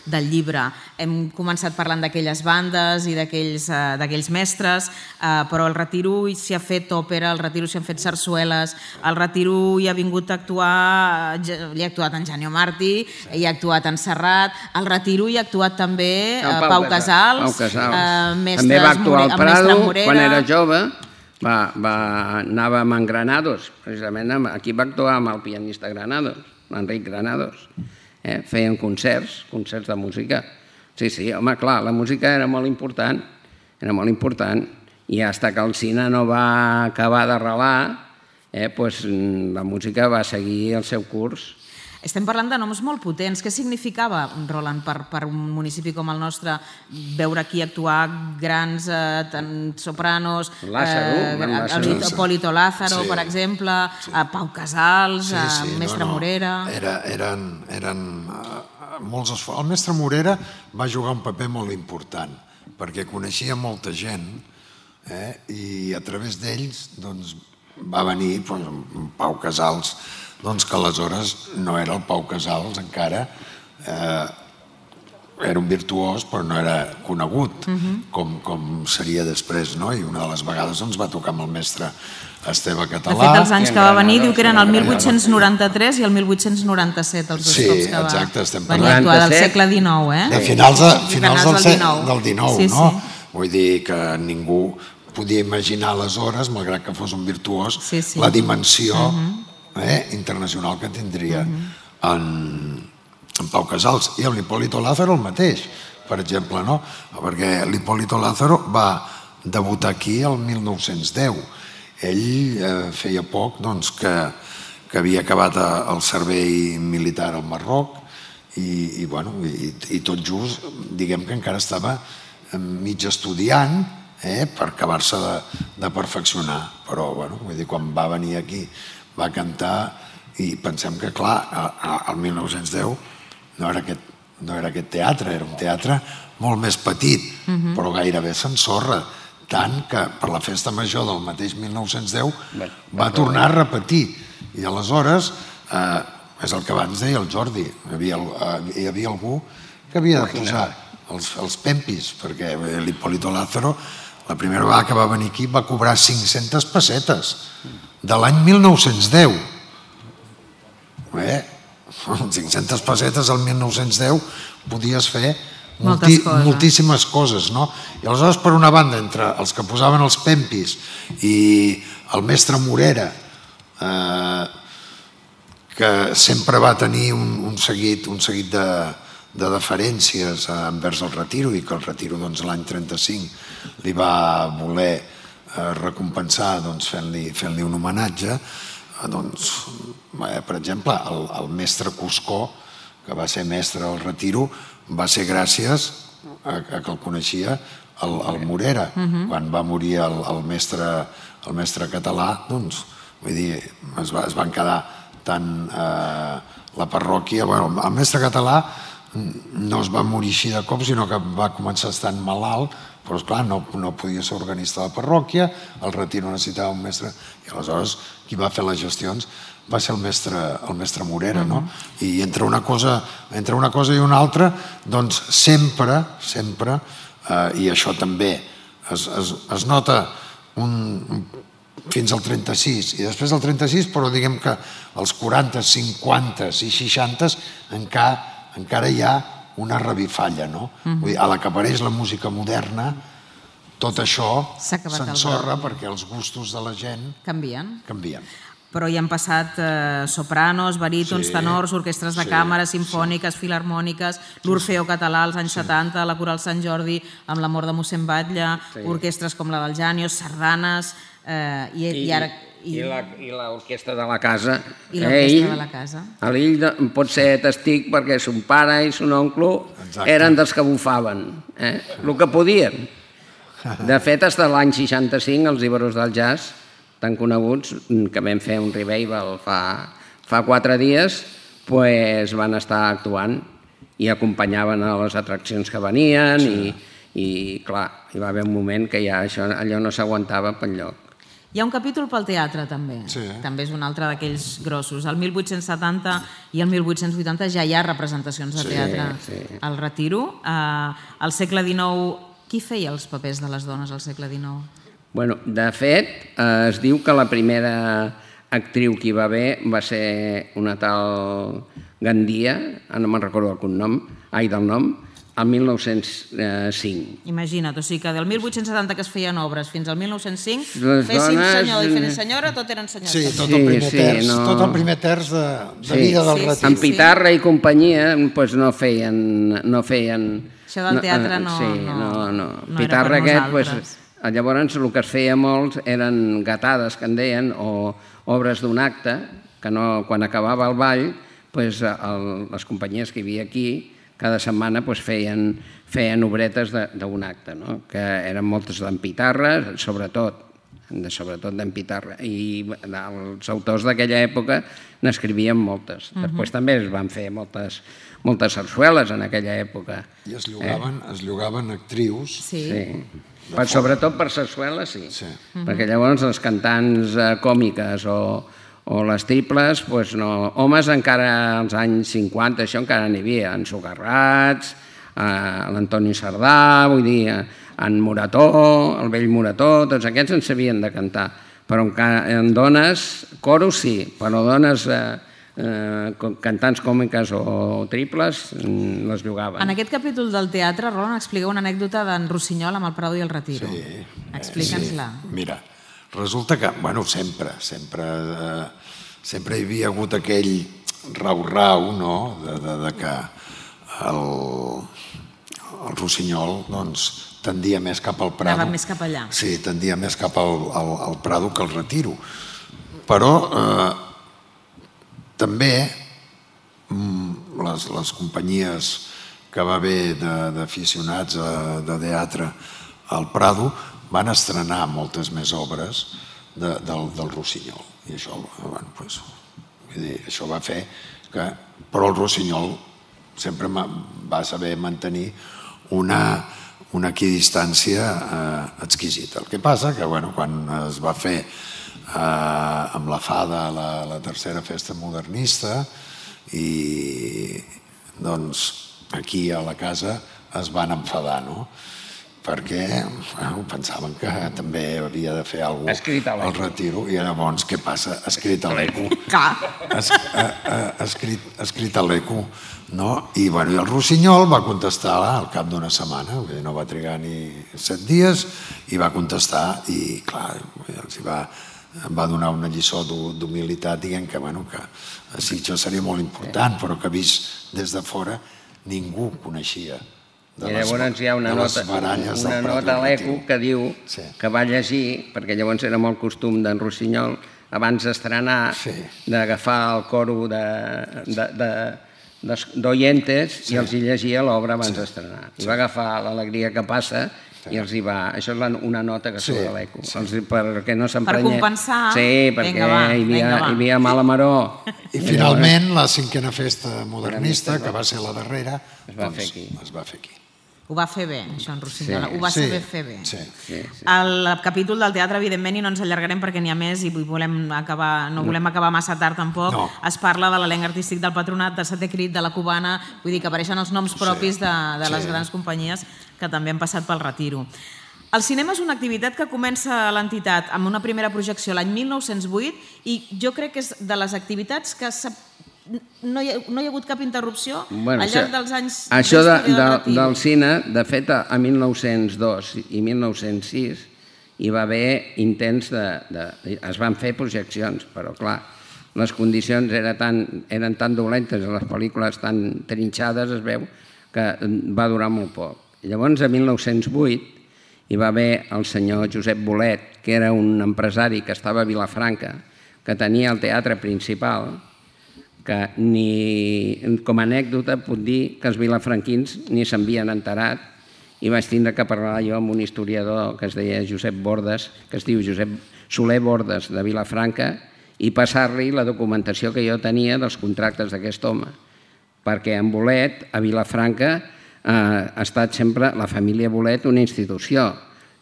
del llibre. Hem començat parlant d'aquelles bandes i d'aquells eh, mestres, eh, però al Retiro s'hi ha fet òpera, al Retiro s'hi han fet sarsueles, al Retiro hi ha vingut a actuar, hi ha actuat en Janio Martí, hi ha actuat en Serrat, al Retiro hi ha actuat també eh, Pau, Pau Casals, Pau Casals. Eh, També va actuar al Prado, quan era jove, va, va, anàvem en Granados, precisament aquí va actuar amb el pianista Granados, l'Enric Granados. Eh? Feien concerts, concerts de música. Sí, sí, home, clar, la música era molt important, era molt important, i fins que el cine no va acabar d'arrelar, eh, doncs la música va seguir el seu curs. Estem parlant de noms molt potents. Què significava, Roland, per, per un municipi com el nostre, veure aquí actuar grans eh, tant sopranos, Lázaro, eh, Lázaro. Polito Lázaro, Sí. per exemple, sí. eh, Pau Casals, Sí, sí, eh, Mestre no, no. Morera... Era, eren eren uh, molts esforços. El Mestre Morera va jugar un paper molt important, perquè coneixia molta gent, eh, i a través d'ells doncs, va venir doncs, Pau Casals, doncs que aleshores no era el Pau Casals encara, eh, era un virtuós però no era conegut com, com seria després, no? I una de les vegades doncs, va tocar amb el mestre Esteve Català. De fet, els anys que va venir diu que eren el mil vuit-cents noranta-tres i el mil vuit-cents noranta-set, els dos Sí, cops que va exacte, estem venir a parlant. actuar del segle dinou, eh? De finals, de, finals Finals del, del se- dinou. del dinou, Sí, no? sí. Vull dir que ningú podia imaginar aleshores, malgrat que fos un virtuós, Sí, sí. la dimensió eh, internacional que tindria en, en Pau Casals. I amb l'Hipólito Lázaro el mateix, per exemple, no? Perquè l'Hipólito Lázaro va debutar aquí el mil nou-cents deu. Ell eh, feia poc doncs, que, que havia acabat a, el servei militar al Marroc i, i, bueno, i, i tot just, diguem que encara estava mig estudiant eh, per acabar-se de, de perfeccionar. Però, bueno, vull dir, quan va venir aquí va cantar i pensem que, clar, al mil nou-cents deu no era aquest, no era aquest teatre, era un teatre molt més petit, uh-huh. però gairebé s'ensorra, tant que per la festa major del mateix mil nou-cents deu va tornar a repetir. I aleshores, eh, és el que abans deia el Jordi, hi havia, hi havia algú que havia de posar els, els pempis, perquè l'Hipólito Lázaro, la primera vegada que va venir aquí, va cobrar cinc-centes pessetes de l'any mil nou-cents deu. Bé, cinc-centes pessetes al mil nou-cents deu podies fer multi, coses. moltíssimes coses, no? I aleshores, per una banda, entre els que posaven els pempis i el mestre Morera, eh, que sempre va tenir un, un seguit, un seguit de, de deferències envers el Retiro i que el Retiro doncs, l'any trenta-cinc li va voler eh, recompensar doncs, fent-li fent-li un homenatge, eh, doncs, eh, per exemple, el, el mestre Cuscó, que va ser mestre del Retiro, va ser gràcies a, a que el coneixia el, el Morera. Uh-huh. Quan va morir el, el, mestre, el mestre català, doncs, vull dir, es, va, es van quedar tant eh, la parròquia... Bueno, el mestre català no es va morir així de cop, sinó que va començar estant malalt, però esclar, no, no podia ser organista de la parròquia, el Retiro necessitava un mestre, i aleshores qui va fer les gestions va ser el mestre, el mestre Morera, no? I entre una cosa, entre una cosa i una altra, doncs sempre, sempre, eh, i això també es, es, es nota un, fins al trenta-sis, i després del trenta-sis, però diguem que els quaranta, cinquanta i seixanta encara encara hi ha una revifalla, no? Vull dir, a la que apareix la música moderna, tot això s'ensorra perquè els gustos de la gent canvien. canvien. Però hi han passat eh, sopranos, barítons, Sí, tenors, orquestres de sí, càmera, simfòniques, filarmòniques, l'Orfeo català als anys setanta, la Coral Sant Jordi amb la mort de mossèn Batlle, orquestres com la del Jànios, sardanes, eh, i, i ara... I, i l'orquestra de la casa. I l'orquestra de la casa. L'Ill pot ser testic perquè son pare i son oncle eren dels que bufaven, eh? El que podien. De fet, fins a l'any seixanta-cinc, els Íberos del Jazz, tan coneguts, que vam fer un revival fa, fa quatre dies, pues van estar actuant i acompanyaven a les atraccions que venien i, i clar, hi va haver un moment que ja això, allò no s'aguantava per lloc. Hi ha un capítol pel teatre, també. Sí. També és un altre d'aquells grossos. El mil vuit-cents setanta i el mil vuit-cents vuitanta ja hi ha representacions de teatre sí. al Retiro. Uh, al segle dinou, qui feia els papers de les dones al segle dinou? Bueno, de fet, eh, es diu que la primera actriu que hi va haver va ser una tal Gandia, no me'n recordo el cognom, ai, del nom, el mil nou-cents cinc. Imagina't, o sigui que del mil vuit-cents setanta que es feien obres fins al mil nou-cents cinc, Les féssim dones- senyor i fent senyora, tot eren senyors. Sí, tot Sí, el primer sí, terç, no. tot el primer terç de, de Sí. vida del Sí, sí. Retiro. En Pitarra i companyia pues, no feien... No feien Això del teatre no- Sí, no- no, no. no era Pitarra per aquest, pues, nosaltres. llavors el que es feia molt eren gatades, que en deien, o obres d'un acte, que no, quan acabava el ball, pues, el, les companyies que hi havia aquí, cada setmana pues, feien, feien obretes d'un acte, no? Que eren moltes d'en Pitarra, sobretot, de, sobretot d'en Pitarra, i els autors d'aquella època n'escrivien moltes. Uh -huh. Després també es van fer moltes, moltes sarsueles en aquella època. I es llogaven, eh? es llogaven actrius. Sí. Sí. Per, sobretot per sarsueles, sí. Sí. Uh -huh. Perquè llavors els cantants eh, còmiques o, o les triples, pues no. Homes encara als anys cinquanta, això encara n'hi havia, en Socarrats, eh, l'Antoni Sardà, vull dir, en Morató, el vell Morató, tots aquests en sabien de cantar. Però en, en dones, coros sí, però dones eh, eh, cantants còmiques o triples les llogaven. En aquest capítol del teatre, Roland, explica una anècdota d'en Rossinyol amb el Prado i el Retiro. Sí. Explica'ns-la. Sí. Mira, resulta que, bueno, sempre, sempre, eh, sempre hi havia hagut aquell rau-rau, no?, de, de, de que el, el Rossinyol, doncs, tendia més cap al Prado. Anava més cap allà. Sí, tendia més cap al, al, al Prado que al Retiro. Però eh, també mm, les, les companyies que va haver d'aficionats de, de teatre al Prado van estrenar moltes més obres de, del, del Rossinyol. I això, bueno, pues, vull dir, això va fer que... Però el Rossinyol sempre va saber mantenir una, una equidistància eh, exquisita. El que passa que, bueno, quan es va fer eh, amb la Fada la, la tercera festa modernista i doncs aquí a la casa es van enfadar, no? Perquè bueno, pensaven que també havia de fer alguna cosa al Retiro i llavors què passa? Escrit a l'eco. Es, eh, eh, escrit, escrit a l'eco, no? I, bueno, i el Rossinyol va contestar al cap d'una setmana, vull dir, no va trigar ni set dies, i va contestar i, clar, els va, va donar una lliçó d'humilitat dient que, bueno, que sí, això seria molt important, però que vist des de fora ningú coneixia. I llavors hi ha una nota, una nota a l'Eco que diu sí. que va llegir, perquè llavors era molt costum d'en Rossinyol, abans d'estrenar, sí. d'agafar el coro d'oientes sí. i els hi llegia l'obra abans sí. d'estrenar. I va agafar l'Alegria que passa sí. i els hi va... Això és una nota que surt sí. a l'Eco. Sí. Perquè no s'emprenya... Per compensar... Sí, perquè venga, va, hi, havia, venga, va. hi havia mala maró. I finalment la cinquena festa modernista, que va ser la darrera, es va fer aquí. Es va fer aquí. Ho va fer bé, això, en Rossinyol. Sí. Ho va Sí. saber fer bé. Sí. Sí, sí. El capítol del teatre, evidentment, i no ens allargarem perquè n'hi ha més i volem acabar, no volem acabar massa tard tampoc, No. es parla de l'elenc artístic del Patronat, de Setè Crit, de la Cubana, vull dir que apareixen els noms propis de, de les Sí. grans companyies que també han passat pel Retiro. El cinema és una activitat que comença a l'entitat amb una primera projecció l'any mil nou-cents vuit i jo crec que és de les activitats que s'ha no hi ha, no hi ha hagut cap interrupció bueno, al llarg dels anys això de, d'història del de, del cine, de fet, a mil nou-cents dos i mil nou-cents sis hi va haver intents de, de... Es van fer projeccions, però clar, les condicions eren tan, eren tan dolentes, les pel·lícules tan trinxades, es veu, que va durar molt poc. Llavors, a mil nou-cents vuit, hi va haver el senyor Josep Bolet, que era un empresari que estava a Vilafranca, que tenia el teatre principal, que ni, com a anècdota puc dir que els vilafranquins ni s'havien enterat i vaig tindre que parlar jo amb un historiador que es deia Josep Bordes, que es diu Josep Soler Bordes de Vilafranca, i passar-li la documentació que jo tenia dels contractes d'aquest home, perquè en Bolet, a Vilafranca, eh, ha estat sempre la família Bolet una institució.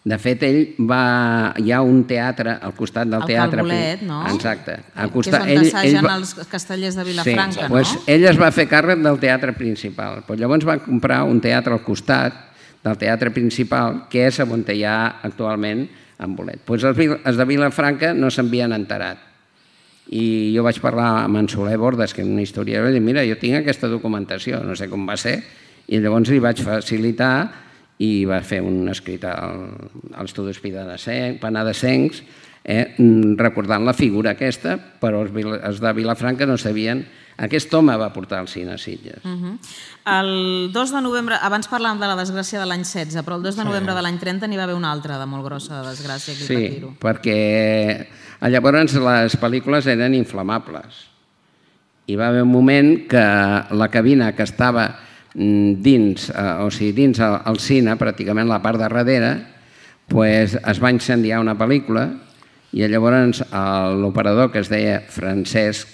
De fet, ell va... Hi ha un teatre al costat del teatre... El Calbolet, no? Exacte. Al costat, que és on t'assagen els castellers de Vilafranca, sí, no? Doncs ell es va fer càrrec del teatre principal. Però llavors va comprar un teatre al costat del teatre principal, que és on hi ha actualment en Bolet. Doncs els de Vilafranca no s'havien enterat. I jo vaig parlar amb en Soler Bordes, que és una historiadora, i dir, mira, jo tinc aquesta documentació, no sé com va ser, i llavors li vaig facilitar i va fer un escrit als estudis penedesencs, eh, recordant la figura aquesta, però els, els de Vilafranca no sabien. Aquest home va portar el cine a Sitges. Uh -huh. El dos de novembre, abans parlàvem de la desgràcia de l'any setze, però el dos de novembre sí. de l'any trenta n'hi va haver una altra de molt grossa de desgràcia aquí sí, al Retiro. Sí, perquè llavors les pel·lícules eren inflamables. Hi va haver un moment que la cabina que estava dins, o sigui, dins el cine, pràcticament la part de darrere, pues, es va incendiar una pel·lícula i llavors l'operador, que es deia Francesc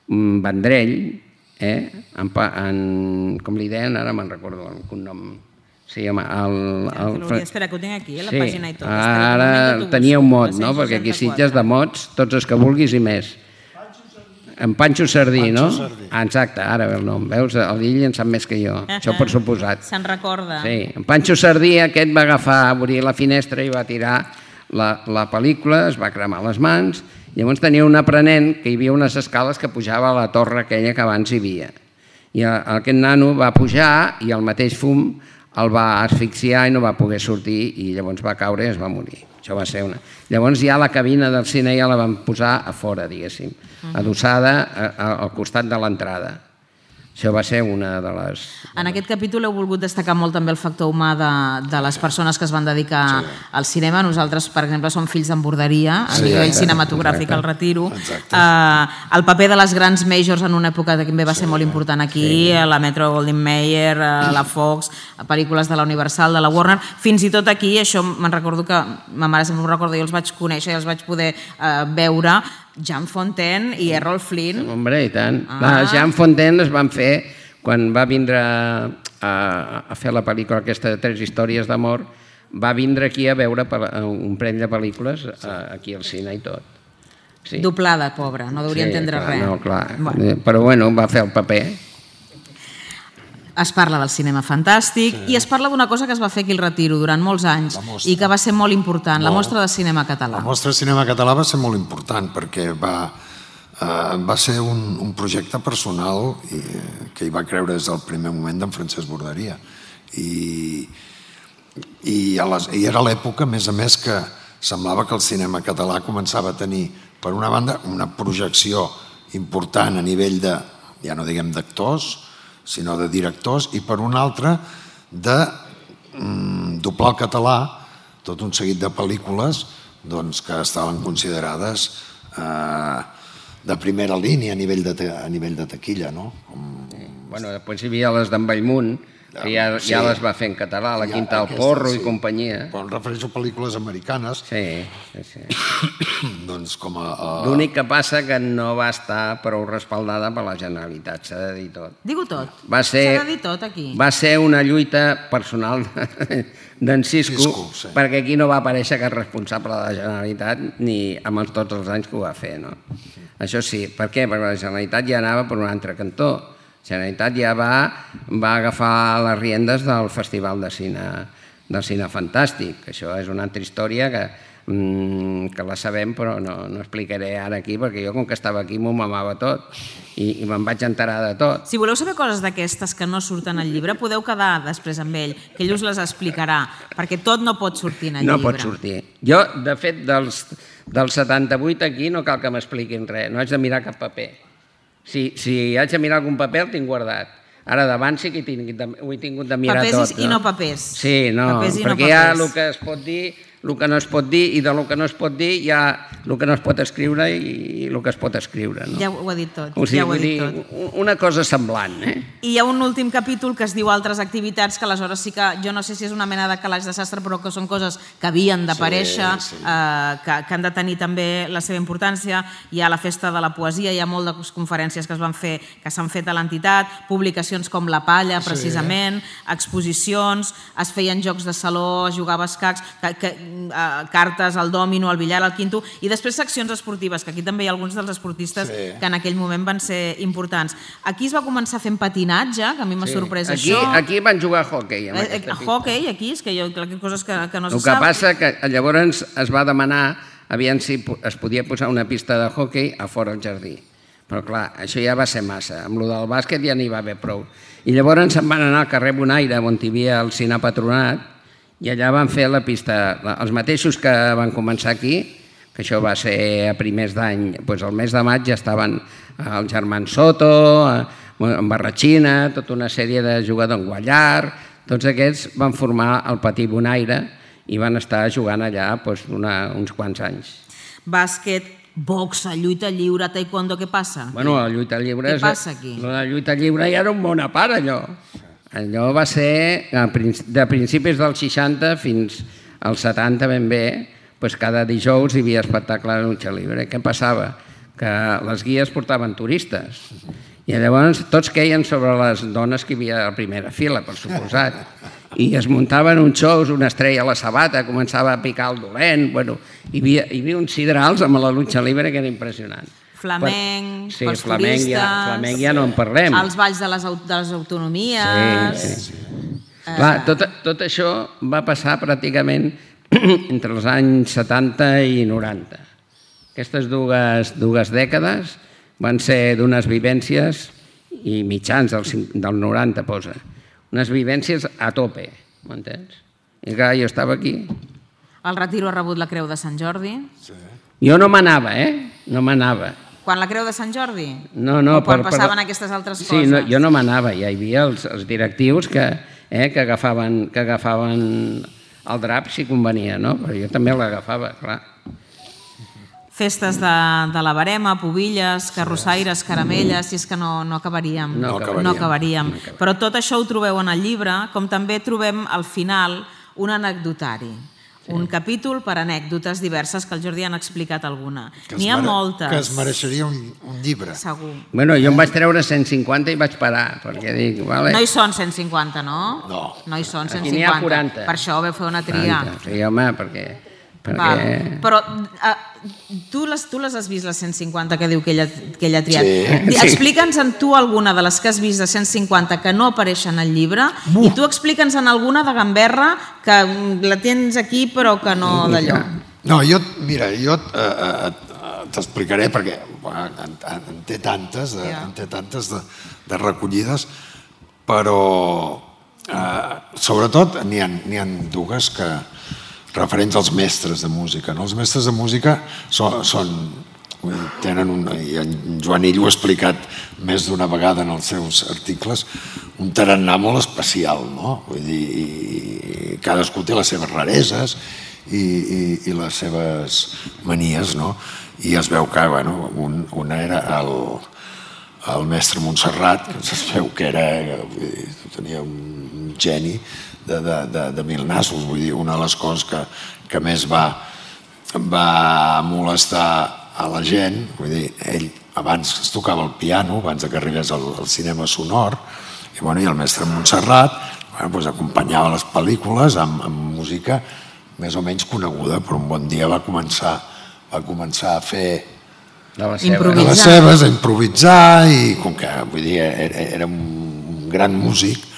Vendrell, eh, en, en, com li deien, ara me'n recordo el cognom. Sí, home, el... el... Espera, que ho tinc aquí, la sí, pàgina i tot. Ara tenia un mot, no? Perquè aquí Sitges de mots, tots els que vulguis i més. En Panxo Sardí, no? Ah, exacte, ara ve el nom. Veus, l'Illa en sap més que jo, això per suposat. Se'n recorda. Sí, en Panxo Sardí aquest va agafar, obrir la finestra i va tirar la, la pel·lícula, es va cremar les mans, llavors tenia un aprenent que hi havia unes escales que pujava a la torre aquella que abans hi havia. I aquest nano va pujar i el mateix fum el va asfixiar i no va poder sortir i llavors va caure i es va morir. Això va ser una... Llavors ja la cabina del cine ja la van posar a fora, diguéssim, adossada al costat de l'entrada. Això va ser una de les... En aquest capítol heu volgut destacar molt també el factor humà de, de les persones que es van dedicar sí. al cinema. Nosaltres, per exemple, som fills d'emborderia a sí, nivell exacte, cinematogràfic exacte. Al Retiro. Uh, el paper de les grans majors en una època que també va ser sí, molt important aquí, sí. la Metro Goldwyn Mayer, la Fox, pel·lícules de la Universal, de la Warner, fins i tot aquí, això me'n recordo que ma mare sempre m'ho recorda, jo els vaig conèixer i els vaig poder uh, veure, Jean Fontaine i Errol Flynn. Hombre, i tant. Ah. La Jean Fontaine es van fer quan va vindre a, a fer la pel·lícula aquesta de Tres històries d'amor, va vindre aquí a veure un parell de pel·lícules aquí al cine i tot. Sí. Doblada, pobra, no hauria sí, entendre clar, res. No, clar. Bueno. Però bueno, va fer el paper. Es parla del cinema fantàstic sí. i es parla d'una cosa que es va fer aquí al Retiro durant molts anys i que va ser molt important, molt. La mostra de cinema català. La mostra de cinema català va ser molt important perquè va, eh, va ser un, un projecte personal i, que hi va creure des del primer moment d'en Francesc Borderia. I, i, a les, i era l'època, a més a més, que semblava que el cinema català començava a tenir, per una banda, una projecció important a nivell de, ja no diguem d'actors, sinó de directors, i per una altra de mm, doblar el català tot un seguit de pel·lícules doncs, que estaven considerades eh, de primera línia a nivell de, a nivell de taquilla. No? Com... Bueno, després hi havia les d'en Bellmunt, que ja, sí. ja les va fer en català, La Quinta del Porro sí. i companyia. Però em refereixo a pel·lícules americanes. Sí, sí, sí. doncs com a... a... L'únic que passa que no va estar prou respaldada per la Generalitat, s'ha de dir tot. Digue-ho tot, s'ha de dir tot aquí. Va ser una lluita personal d'en Cisco, Cisco sí. perquè aquí no va aparèixer cap responsable de la Generalitat ni amb els, tots els anys que ho va fer. No? Això sí, per què? Perquè la Generalitat ja anava per un altre cantó. La Generalitat ja va, va agafar les riendes del Festival de Cine, del cine Fantàstic. Això és una altra història que que la sabem, però no, no explicaré ara aquí, perquè jo, com que estava aquí, m'ho mamava tot i, i me'n vaig enterar de tot. Si voleu saber coses d'aquestes que no surten al llibre, podeu quedar després amb ell, que ell us les explicarà, perquè tot no pot sortir en el no llibre. No pot sortir. Jo, de fet, dels, dels setanta-vuit aquí no cal que m'expliquin res, no haig de mirar cap paper. Si, si haig de mirar algun paper, el tinc guardat. Ara davant sí que he tingut de, ho he tingut de mirar papers tot. Papers i no papers. Sí, no, papers i perquè no hi ha papers. el que es pot dir, el que no es pot dir, i del que no es pot dir hi ha el que no es pot escriure i el que es pot escriure. No? Ja ho ha dit tot. O sigui, ja ho ha dit dir, tot. Una cosa semblant. Eh? I hi ha un últim capítol que es diu altres activitats, que aleshores sí que, jo no sé si és una mena de calaix de sastre, però que són coses que havien d'aparèixer, sí, sí. eh, que, que han de tenir també la seva importància. Hi ha la festa de la poesia, hi ha moltes conferències que es van fer, que s'han fet a l'entitat, publicacions com La Palla, precisament, sí. exposicions, es feien jocs de saló, es jugava a escacs, que, que, eh, cartes, al dòmino, al billar, al quinto, i després seccions esportives, que aquí també hi ha alguns dels esportistes sí. que en aquell moment van ser importants. Aquí es va començar fent patinatge, que a mi m'ha sí. sorprès aquí, això. Aquí van jugar a hoquei. A, a hoquei, aquí, és que jo crec que coses que, que no se sap. El que sap. passa que llavors es va demanar aviam si es podia posar una pista de hoquei a fora al jardí. Però clar, això ja va ser massa. Amb el del bàsquet ja n'hi va haver prou. I llavors se'n van anar al carrer Bonaire, on hi havia el Cine Patronat, i allà van fer la pista, els mateixos que van començar aquí, que això va ser a primers d'any, doncs al mes de maig ja estaven el Germán Soto, en Barratxina, tota una sèrie de jugadors en Guallar, tots aquests van formar el Petit Bonaire i van estar jugant allà doncs, una, uns quants anys. Bàsquet, boxa, lluita lliure, taekwondo, què passa? Bueno, la lluita lliure... Què passa aquí? La lluita lliure ja era un món a part, allò. Allò va ser de principis dels seixanta fins als setanta ben bé, doncs cada dijous hi havia espectacle de lucha libre. Què passava? Que les guies portaven turistes i llavors tots queien sobre les dones que hi havia a la primera fila, per suposat, i es muntaven uns shows, una estrella a la sabata, començava a picar el dolent, bueno, hi havia, hi havia uns sidrals amb la lucha libre que era impressionant. Flamenc, sí, pels flamenc turistes... Ja, flamenc ja no en parlem. Els balls de les, de les autonomies... Sí, sí. Eh... Clar, tot, tot això va passar pràcticament entre els anys setanta i noranta. Aquestes dues, dues dècades van ser d'unes vivències, i mitjans del, del noranta posa, unes vivències a tope, m'entens? I clar, jo estava aquí. El Retiro ha rebut la Creu de Sant Jordi. Sí. Jo no m'anava, eh? No m'anava. Quan la Creu de Sant Jordi? No, no. O quan per, passaven per... aquestes altres sí, coses? Sí, no, jo no m'anava. Ja hi havia els, els directius que, eh, que, agafaven, que agafaven el drap si convenia, no? Però jo també l'agafava, clar. Festes de, de la Barema, Pubilles, carrossaires, caramelles, si és que no, no acabaríem. No acabaríem. No acabaríem. Però tot això ho trobeu en el llibre, com també trobem al final un anecdotari. Sí. Un capítol per anècdotes diverses que el Jordi han explicat alguna. N'hi ha moltes. Que es mereixeria un, un llibre. Segur. Bueno, jo em vaig treure cent cinquanta i vaig parar, perquè dic, vale. No hi són cent cinquanta, no? No. No hi són cent cinquanta. Aquí n'hi ha quaranta. Per això vau fer una tria. quaranta. Sí, home, perquè... perquè... Val. Però uh, tu, les, tu les has vist, les cent cinquanta que diu que ella, que ella ha triat. Sí. Explica'ns en tu alguna de les que has vist de cent cinquanta que no apareixen al llibre uh. i tu explica'ns en alguna de gamberra que la tens aquí però que no d'allò. No, jo, mira, jo eh, eh, t'explicaré perquè bueno, en, en té tantes, de, yeah. en té tantes de, de recollides, però eh, sobretot n'hi ha, n'hi ha dues que referents als mestres de música. No? Els mestres de música són, són tenen un, i en Joan Illo ho ha explicat més d'una vegada en els seus articles, un tarannà molt especial, no? Vull dir, i cadascú té les seves rareses i, i, i les seves manies, no? I es veu que, bueno, un, una era el, el mestre Montserrat, que es veu que era, vull dir, tenia un geni de, de, de, de mil nassos, vull dir, una de les coses que, que més va, va molestar a la gent, vull dir, ell abans es tocava el piano, abans que arribés al, al cinema sonor, i, bueno, i el mestre Montserrat bueno, doncs acompanyava les pel·lícules amb, amb música més o menys coneguda, però un bon dia va començar, va començar a fer de les seves, de les seves a improvisar, i com que vull dir, era, era un gran músic,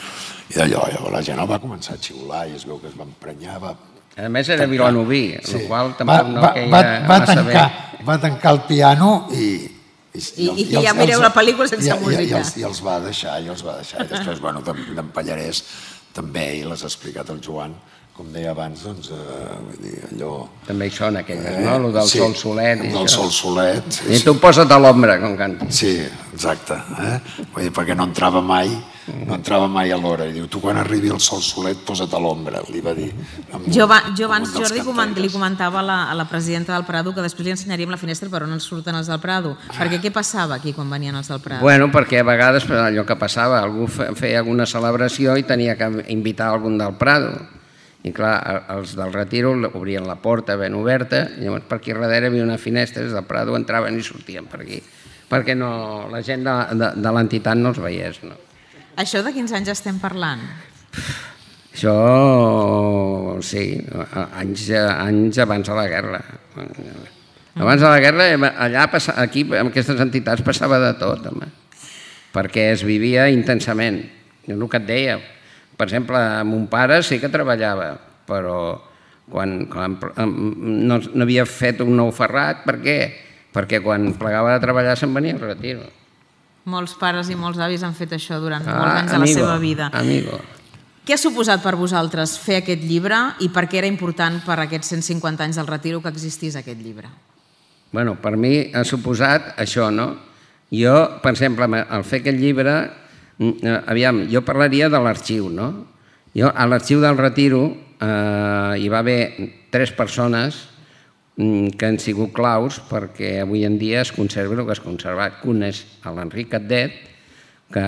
i d'allò, llavors la gent el va començar a xiular i es veu que es va emprenyar, va A més era vilanoví, sí. El qual tampoc va, no va, queia va, va massa tancar, bé. Va tancar el piano i... I, i, i, i ja mireu la pel·lícula sense i, música. I, i, els, I els va deixar, i els va deixar. I després, bueno, d'en Pallarès també, i l'has explicat el Joan, com deia abans, doncs, eh, vull dir, allò... També hi són aquelles, no? El del sí, Sol Solet i el del això. Sol Solet. Sí, I tu posa't a l'ombra, com canta. Sí, exacte. Eh? Vull dir, perquè no entrava mai, no entrava mai a l'hora. I diu, tu quan arribi el Sol Solet, posa't a l'ombra, li va dir. Amb, jo, va, jo abans, Jordi, coment, li comentava a la, a la presidenta del Prado que després li ensenyaríem la finestra per on ens surten els del Prado. Perquè què passava aquí quan venien els del Prado? Bueno, perquè a vegades allò que passava, algú feia alguna celebració i tenia que invitar algun del Prado. I clar, els del Retiro obrien la porta ben oberta, i llavors per aquí darrere hi havia una finestra, des del Prado entraven i sortien per aquí, perquè no, la gent de, de, de l'entitat no els veiés. No. Això de quins anys estem parlant? Això, sí, anys, anys abans de la guerra. Abans de la guerra, allà, aquí, en aquestes entitats, passava de tot, home, perquè es vivia intensament. Jo el que et deia, per exemple, mon pare sí que treballava, però quan, quan no, no havia fet un nou ferrat, per què? Perquè quan plegava de treballar se'n venia al Retiro. Molts pares i molts avis han fet això durant ah, molts anys de amigo, la seva vida. Amigo. Què ha suposat per vosaltres fer aquest llibre i per què era important per aquests cent cinquanta anys del Retiro que existís aquest llibre? Bueno, per mi ha suposat això, no? Jo, per exemple, al fer aquest llibre, aviam, jo parlaria de l'arxiu, no? Jo, a l'arxiu del Retiro eh, hi va haver tres persones que han sigut claus perquè avui en dia es conserva el que es conservat. Un és l'Enric Catdet, que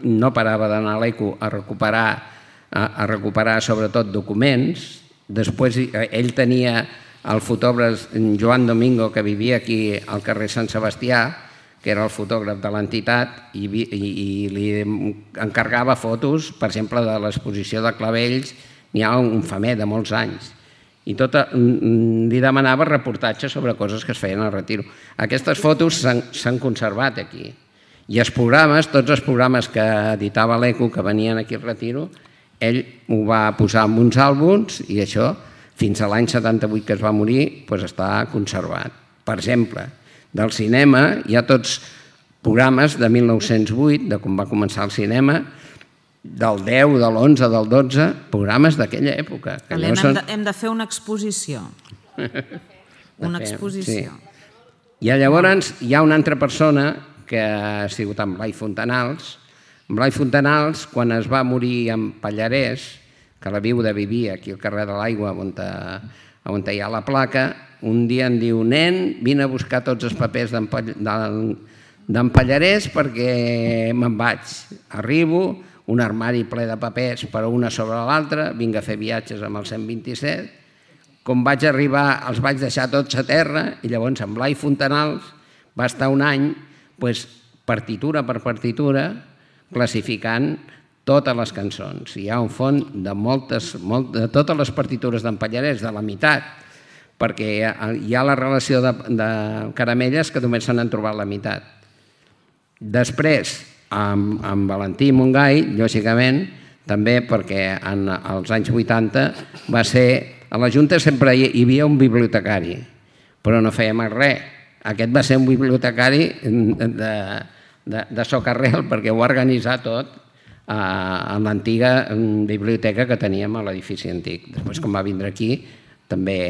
no parava d'anar a l'E C U a recuperar, a, a recuperar sobretot documents. Després ell tenia el fotògraf Joan Domingo, que vivia aquí al carrer Sant Sebastià, que era el fotògraf de l'entitat, i, i, i li encargava fotos, per exemple, de l'exposició de Clavells, n'hi ha un famer de molts anys, i tot, li demanava reportatges sobre coses que es feien al Retiro. Aquestes fotos s'han conservat aquí, i els programes, tots els programes que editava l'E C U, que venien aquí al Retiro, ell ho va posar en uns àlbums, i això, fins a l'any setanta-vuit que es va morir, doncs està conservat. Per exemple, del cinema hi ha tots programes de mil nou-cents vuit, de com va començar el cinema, del deu, de l'onze, del dotze, programes d'aquella època. Helena, no són... hem, de, hem de fer una exposició. Una exposició. Sí. I llavors hi ha una altra persona que ha sigut en Blai Fontanals. En Blai Fontanals, quan es va morir en Pallarès, que la viuda vivia aquí al carrer de l'Aigua, on, on hi ha la placa, un dia em diu, nen, vine a buscar tots els papers d'en Pallarès perquè me'n vaig. Arribo, un armari ple de papers per una sobre l'altra, vinc a fer viatges amb el cent vint-i-set, com vaig arribar els vaig deixar tots a terra i llavors en Blai Fontanals va estar un any doncs, partitura per partitura classificant totes les cançons. Hi ha un font de, moltes, molt, de totes les partitures d'en Pallarès, de la meitat, perquè hi ha la relació de, de caramelles que només se n'han trobat la meitat. Després, amb, amb Valentí Montgai, lògicament, també perquè en els anys vuitanta va ser... A la Junta sempre hi havia un bibliotecari, però no feia mai res. Aquest va ser un bibliotecari de, de, de socarrel perquè ho va organitzar tot en l'antiga biblioteca que teníem a l'edifici antic. Després, quan va vindre aquí, també,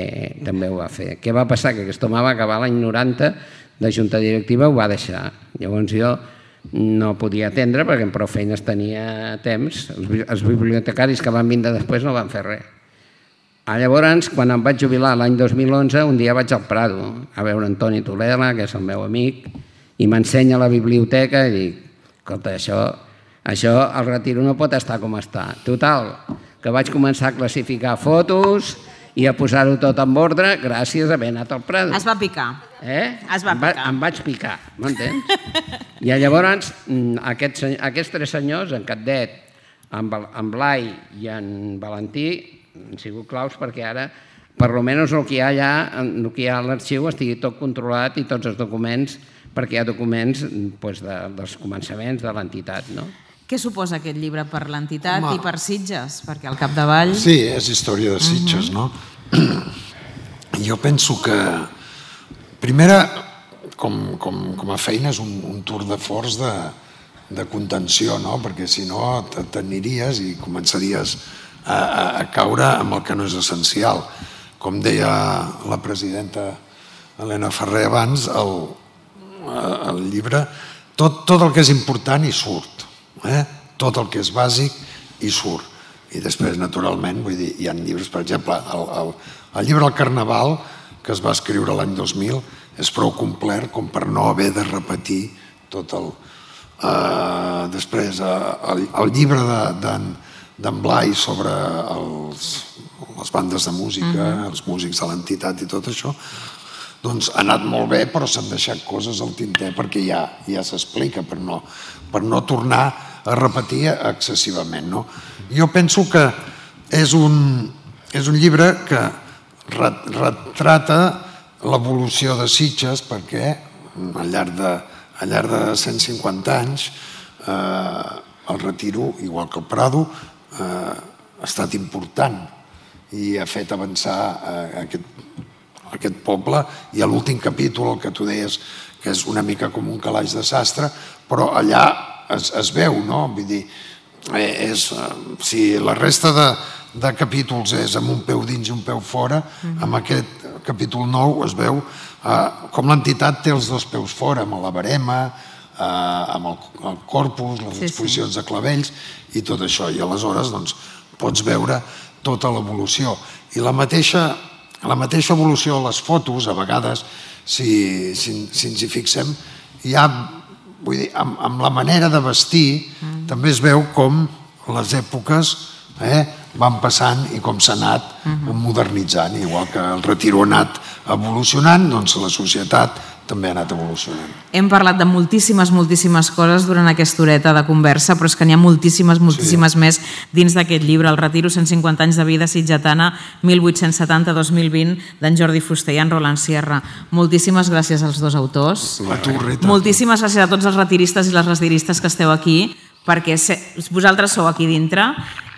també ho va fer. Què va passar? Que aquest home va acabar l'any noranta de junta directiva, ho va deixar. Llavors jo no podia atendre perquè amb prou feines tenia temps. Els, els bibliotecaris que van vindre després no van fer res. Llavors, quan em vaig jubilar l'any dos mil onze, un dia vaig al Prado a veure Antoni Toledla, que és el meu amic, i m'ensenya la biblioteca i dic, escolta, això, això el Retiro no pot estar com està. Total, que vaig començar a classificar fotos i a posar-ho tot en ordre gràcies a haver anat al Prado. Es va picar. Eh? Es va picar. Em, va, em vaig picar, m'entens? I llavors aquests, aquests tres senyors, en Catdet, en, en Blai i en Valentí, han sigut claus perquè ara, per almenys el que hi ha allà, el que hi ha a l'arxiu estigui tot controlat i tots els documents, perquè hi ha documents doncs, de, dels començaments de l'entitat, no? Què suposa aquest llibre per l'entitat i per Sitges? Perquè al capdavall... Sí, és història de Sitges, no? Jo penso que, primera, com, com, com a feina és un, un tour de forç de, de contenció, no? Perquè si no t'aniries i començaries a, a, a caure amb el que no és essencial. Com deia la presidenta Helena Ferrer abans, el, el llibre, tot, tot el que és important hi surt. Eh? Tot el que és bàsic hi surt. I després, naturalment, vull dir, hi ha llibres, per exemple, el, el, el llibre El Carnaval, que es va escriure l'any dos mil, és prou complet com per no haver de repetir tot el... Eh, després, eh, el, el llibre d'en de, Blai sobre els, les bandes de música, uh-huh. els músics de l'entitat i tot això, doncs ha anat molt bé, però s'han deixat coses al tinter perquè ja, ja s'explica, per no, per no tornar a repetir excessivament. No? Jo penso que és un, és un llibre que retrata l'evolució de Sitges perquè al llarg de, al llarg de cent cinquanta anys eh, el Retiro, igual que el Prado, eh, ha estat important i ha fet avançar eh, aquest aquest poble, i a l'últim capítol, el que tu deies, que és una mica com un calaix de sastre, però allà es, es veu, no? Vull dir, és, si la resta de, de capítols és amb un peu dins i un peu fora, amb aquest capítol nou es veu eh, com l'entitat té els dos peus fora, amb la barema, eh, amb el, el corpus, les exposicions de clavells i tot això, i aleshores doncs, pots veure tota l'evolució. I la mateixa La mateixa evolució a les fotos, a vegades, si, si, si ens hi fixem, hi ha, vull dir, amb, amb la manera de vestir, mm. també es veu com les èpoques eh, van passant i com s'ha anat mm-hmm. modernitzant. Igual que el Retiro ha anat evolucionant, doncs la societat també ha anat evolucionant. Hem parlat de moltíssimes, moltíssimes coses durant aquesta horeta de conversa, però és que n'hi ha moltíssimes, moltíssimes sí. més dins d'aquest llibre, El Retiro, cent cinquanta anys de vida sitgetana, mil vuit-cents setanta a dos mil vint, d'en Jordi Fuster i en Roland Sierra. Moltíssimes gràcies als dos autors. La torreta. Moltíssimes gràcies a tots els retiristes i les retiristes que esteu aquí, perquè vosaltres sou aquí dintre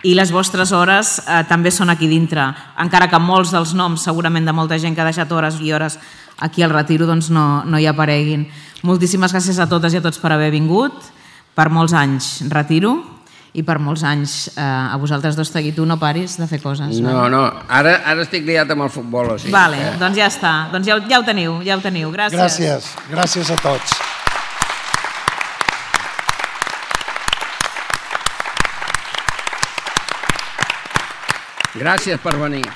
i les vostres hores eh, també són aquí dintre, encara que molts dels noms segurament de molta gent que ha deixat hores i hores aquí al Retiro doncs no, no hi apareguin. Moltíssimes gràcies a totes i a tots per haver vingut, per molts anys Retiro i per molts anys eh, a vosaltres dos, Tagui, tu no paris de fer coses. No, no, ara, ara estic liat amb el futbol. O sigui, vale, eh? doncs ja està, doncs ja, ja ho teniu, ja ho teniu. Gràcies. Gràcies, gràcies a tots. Gràcies per venir.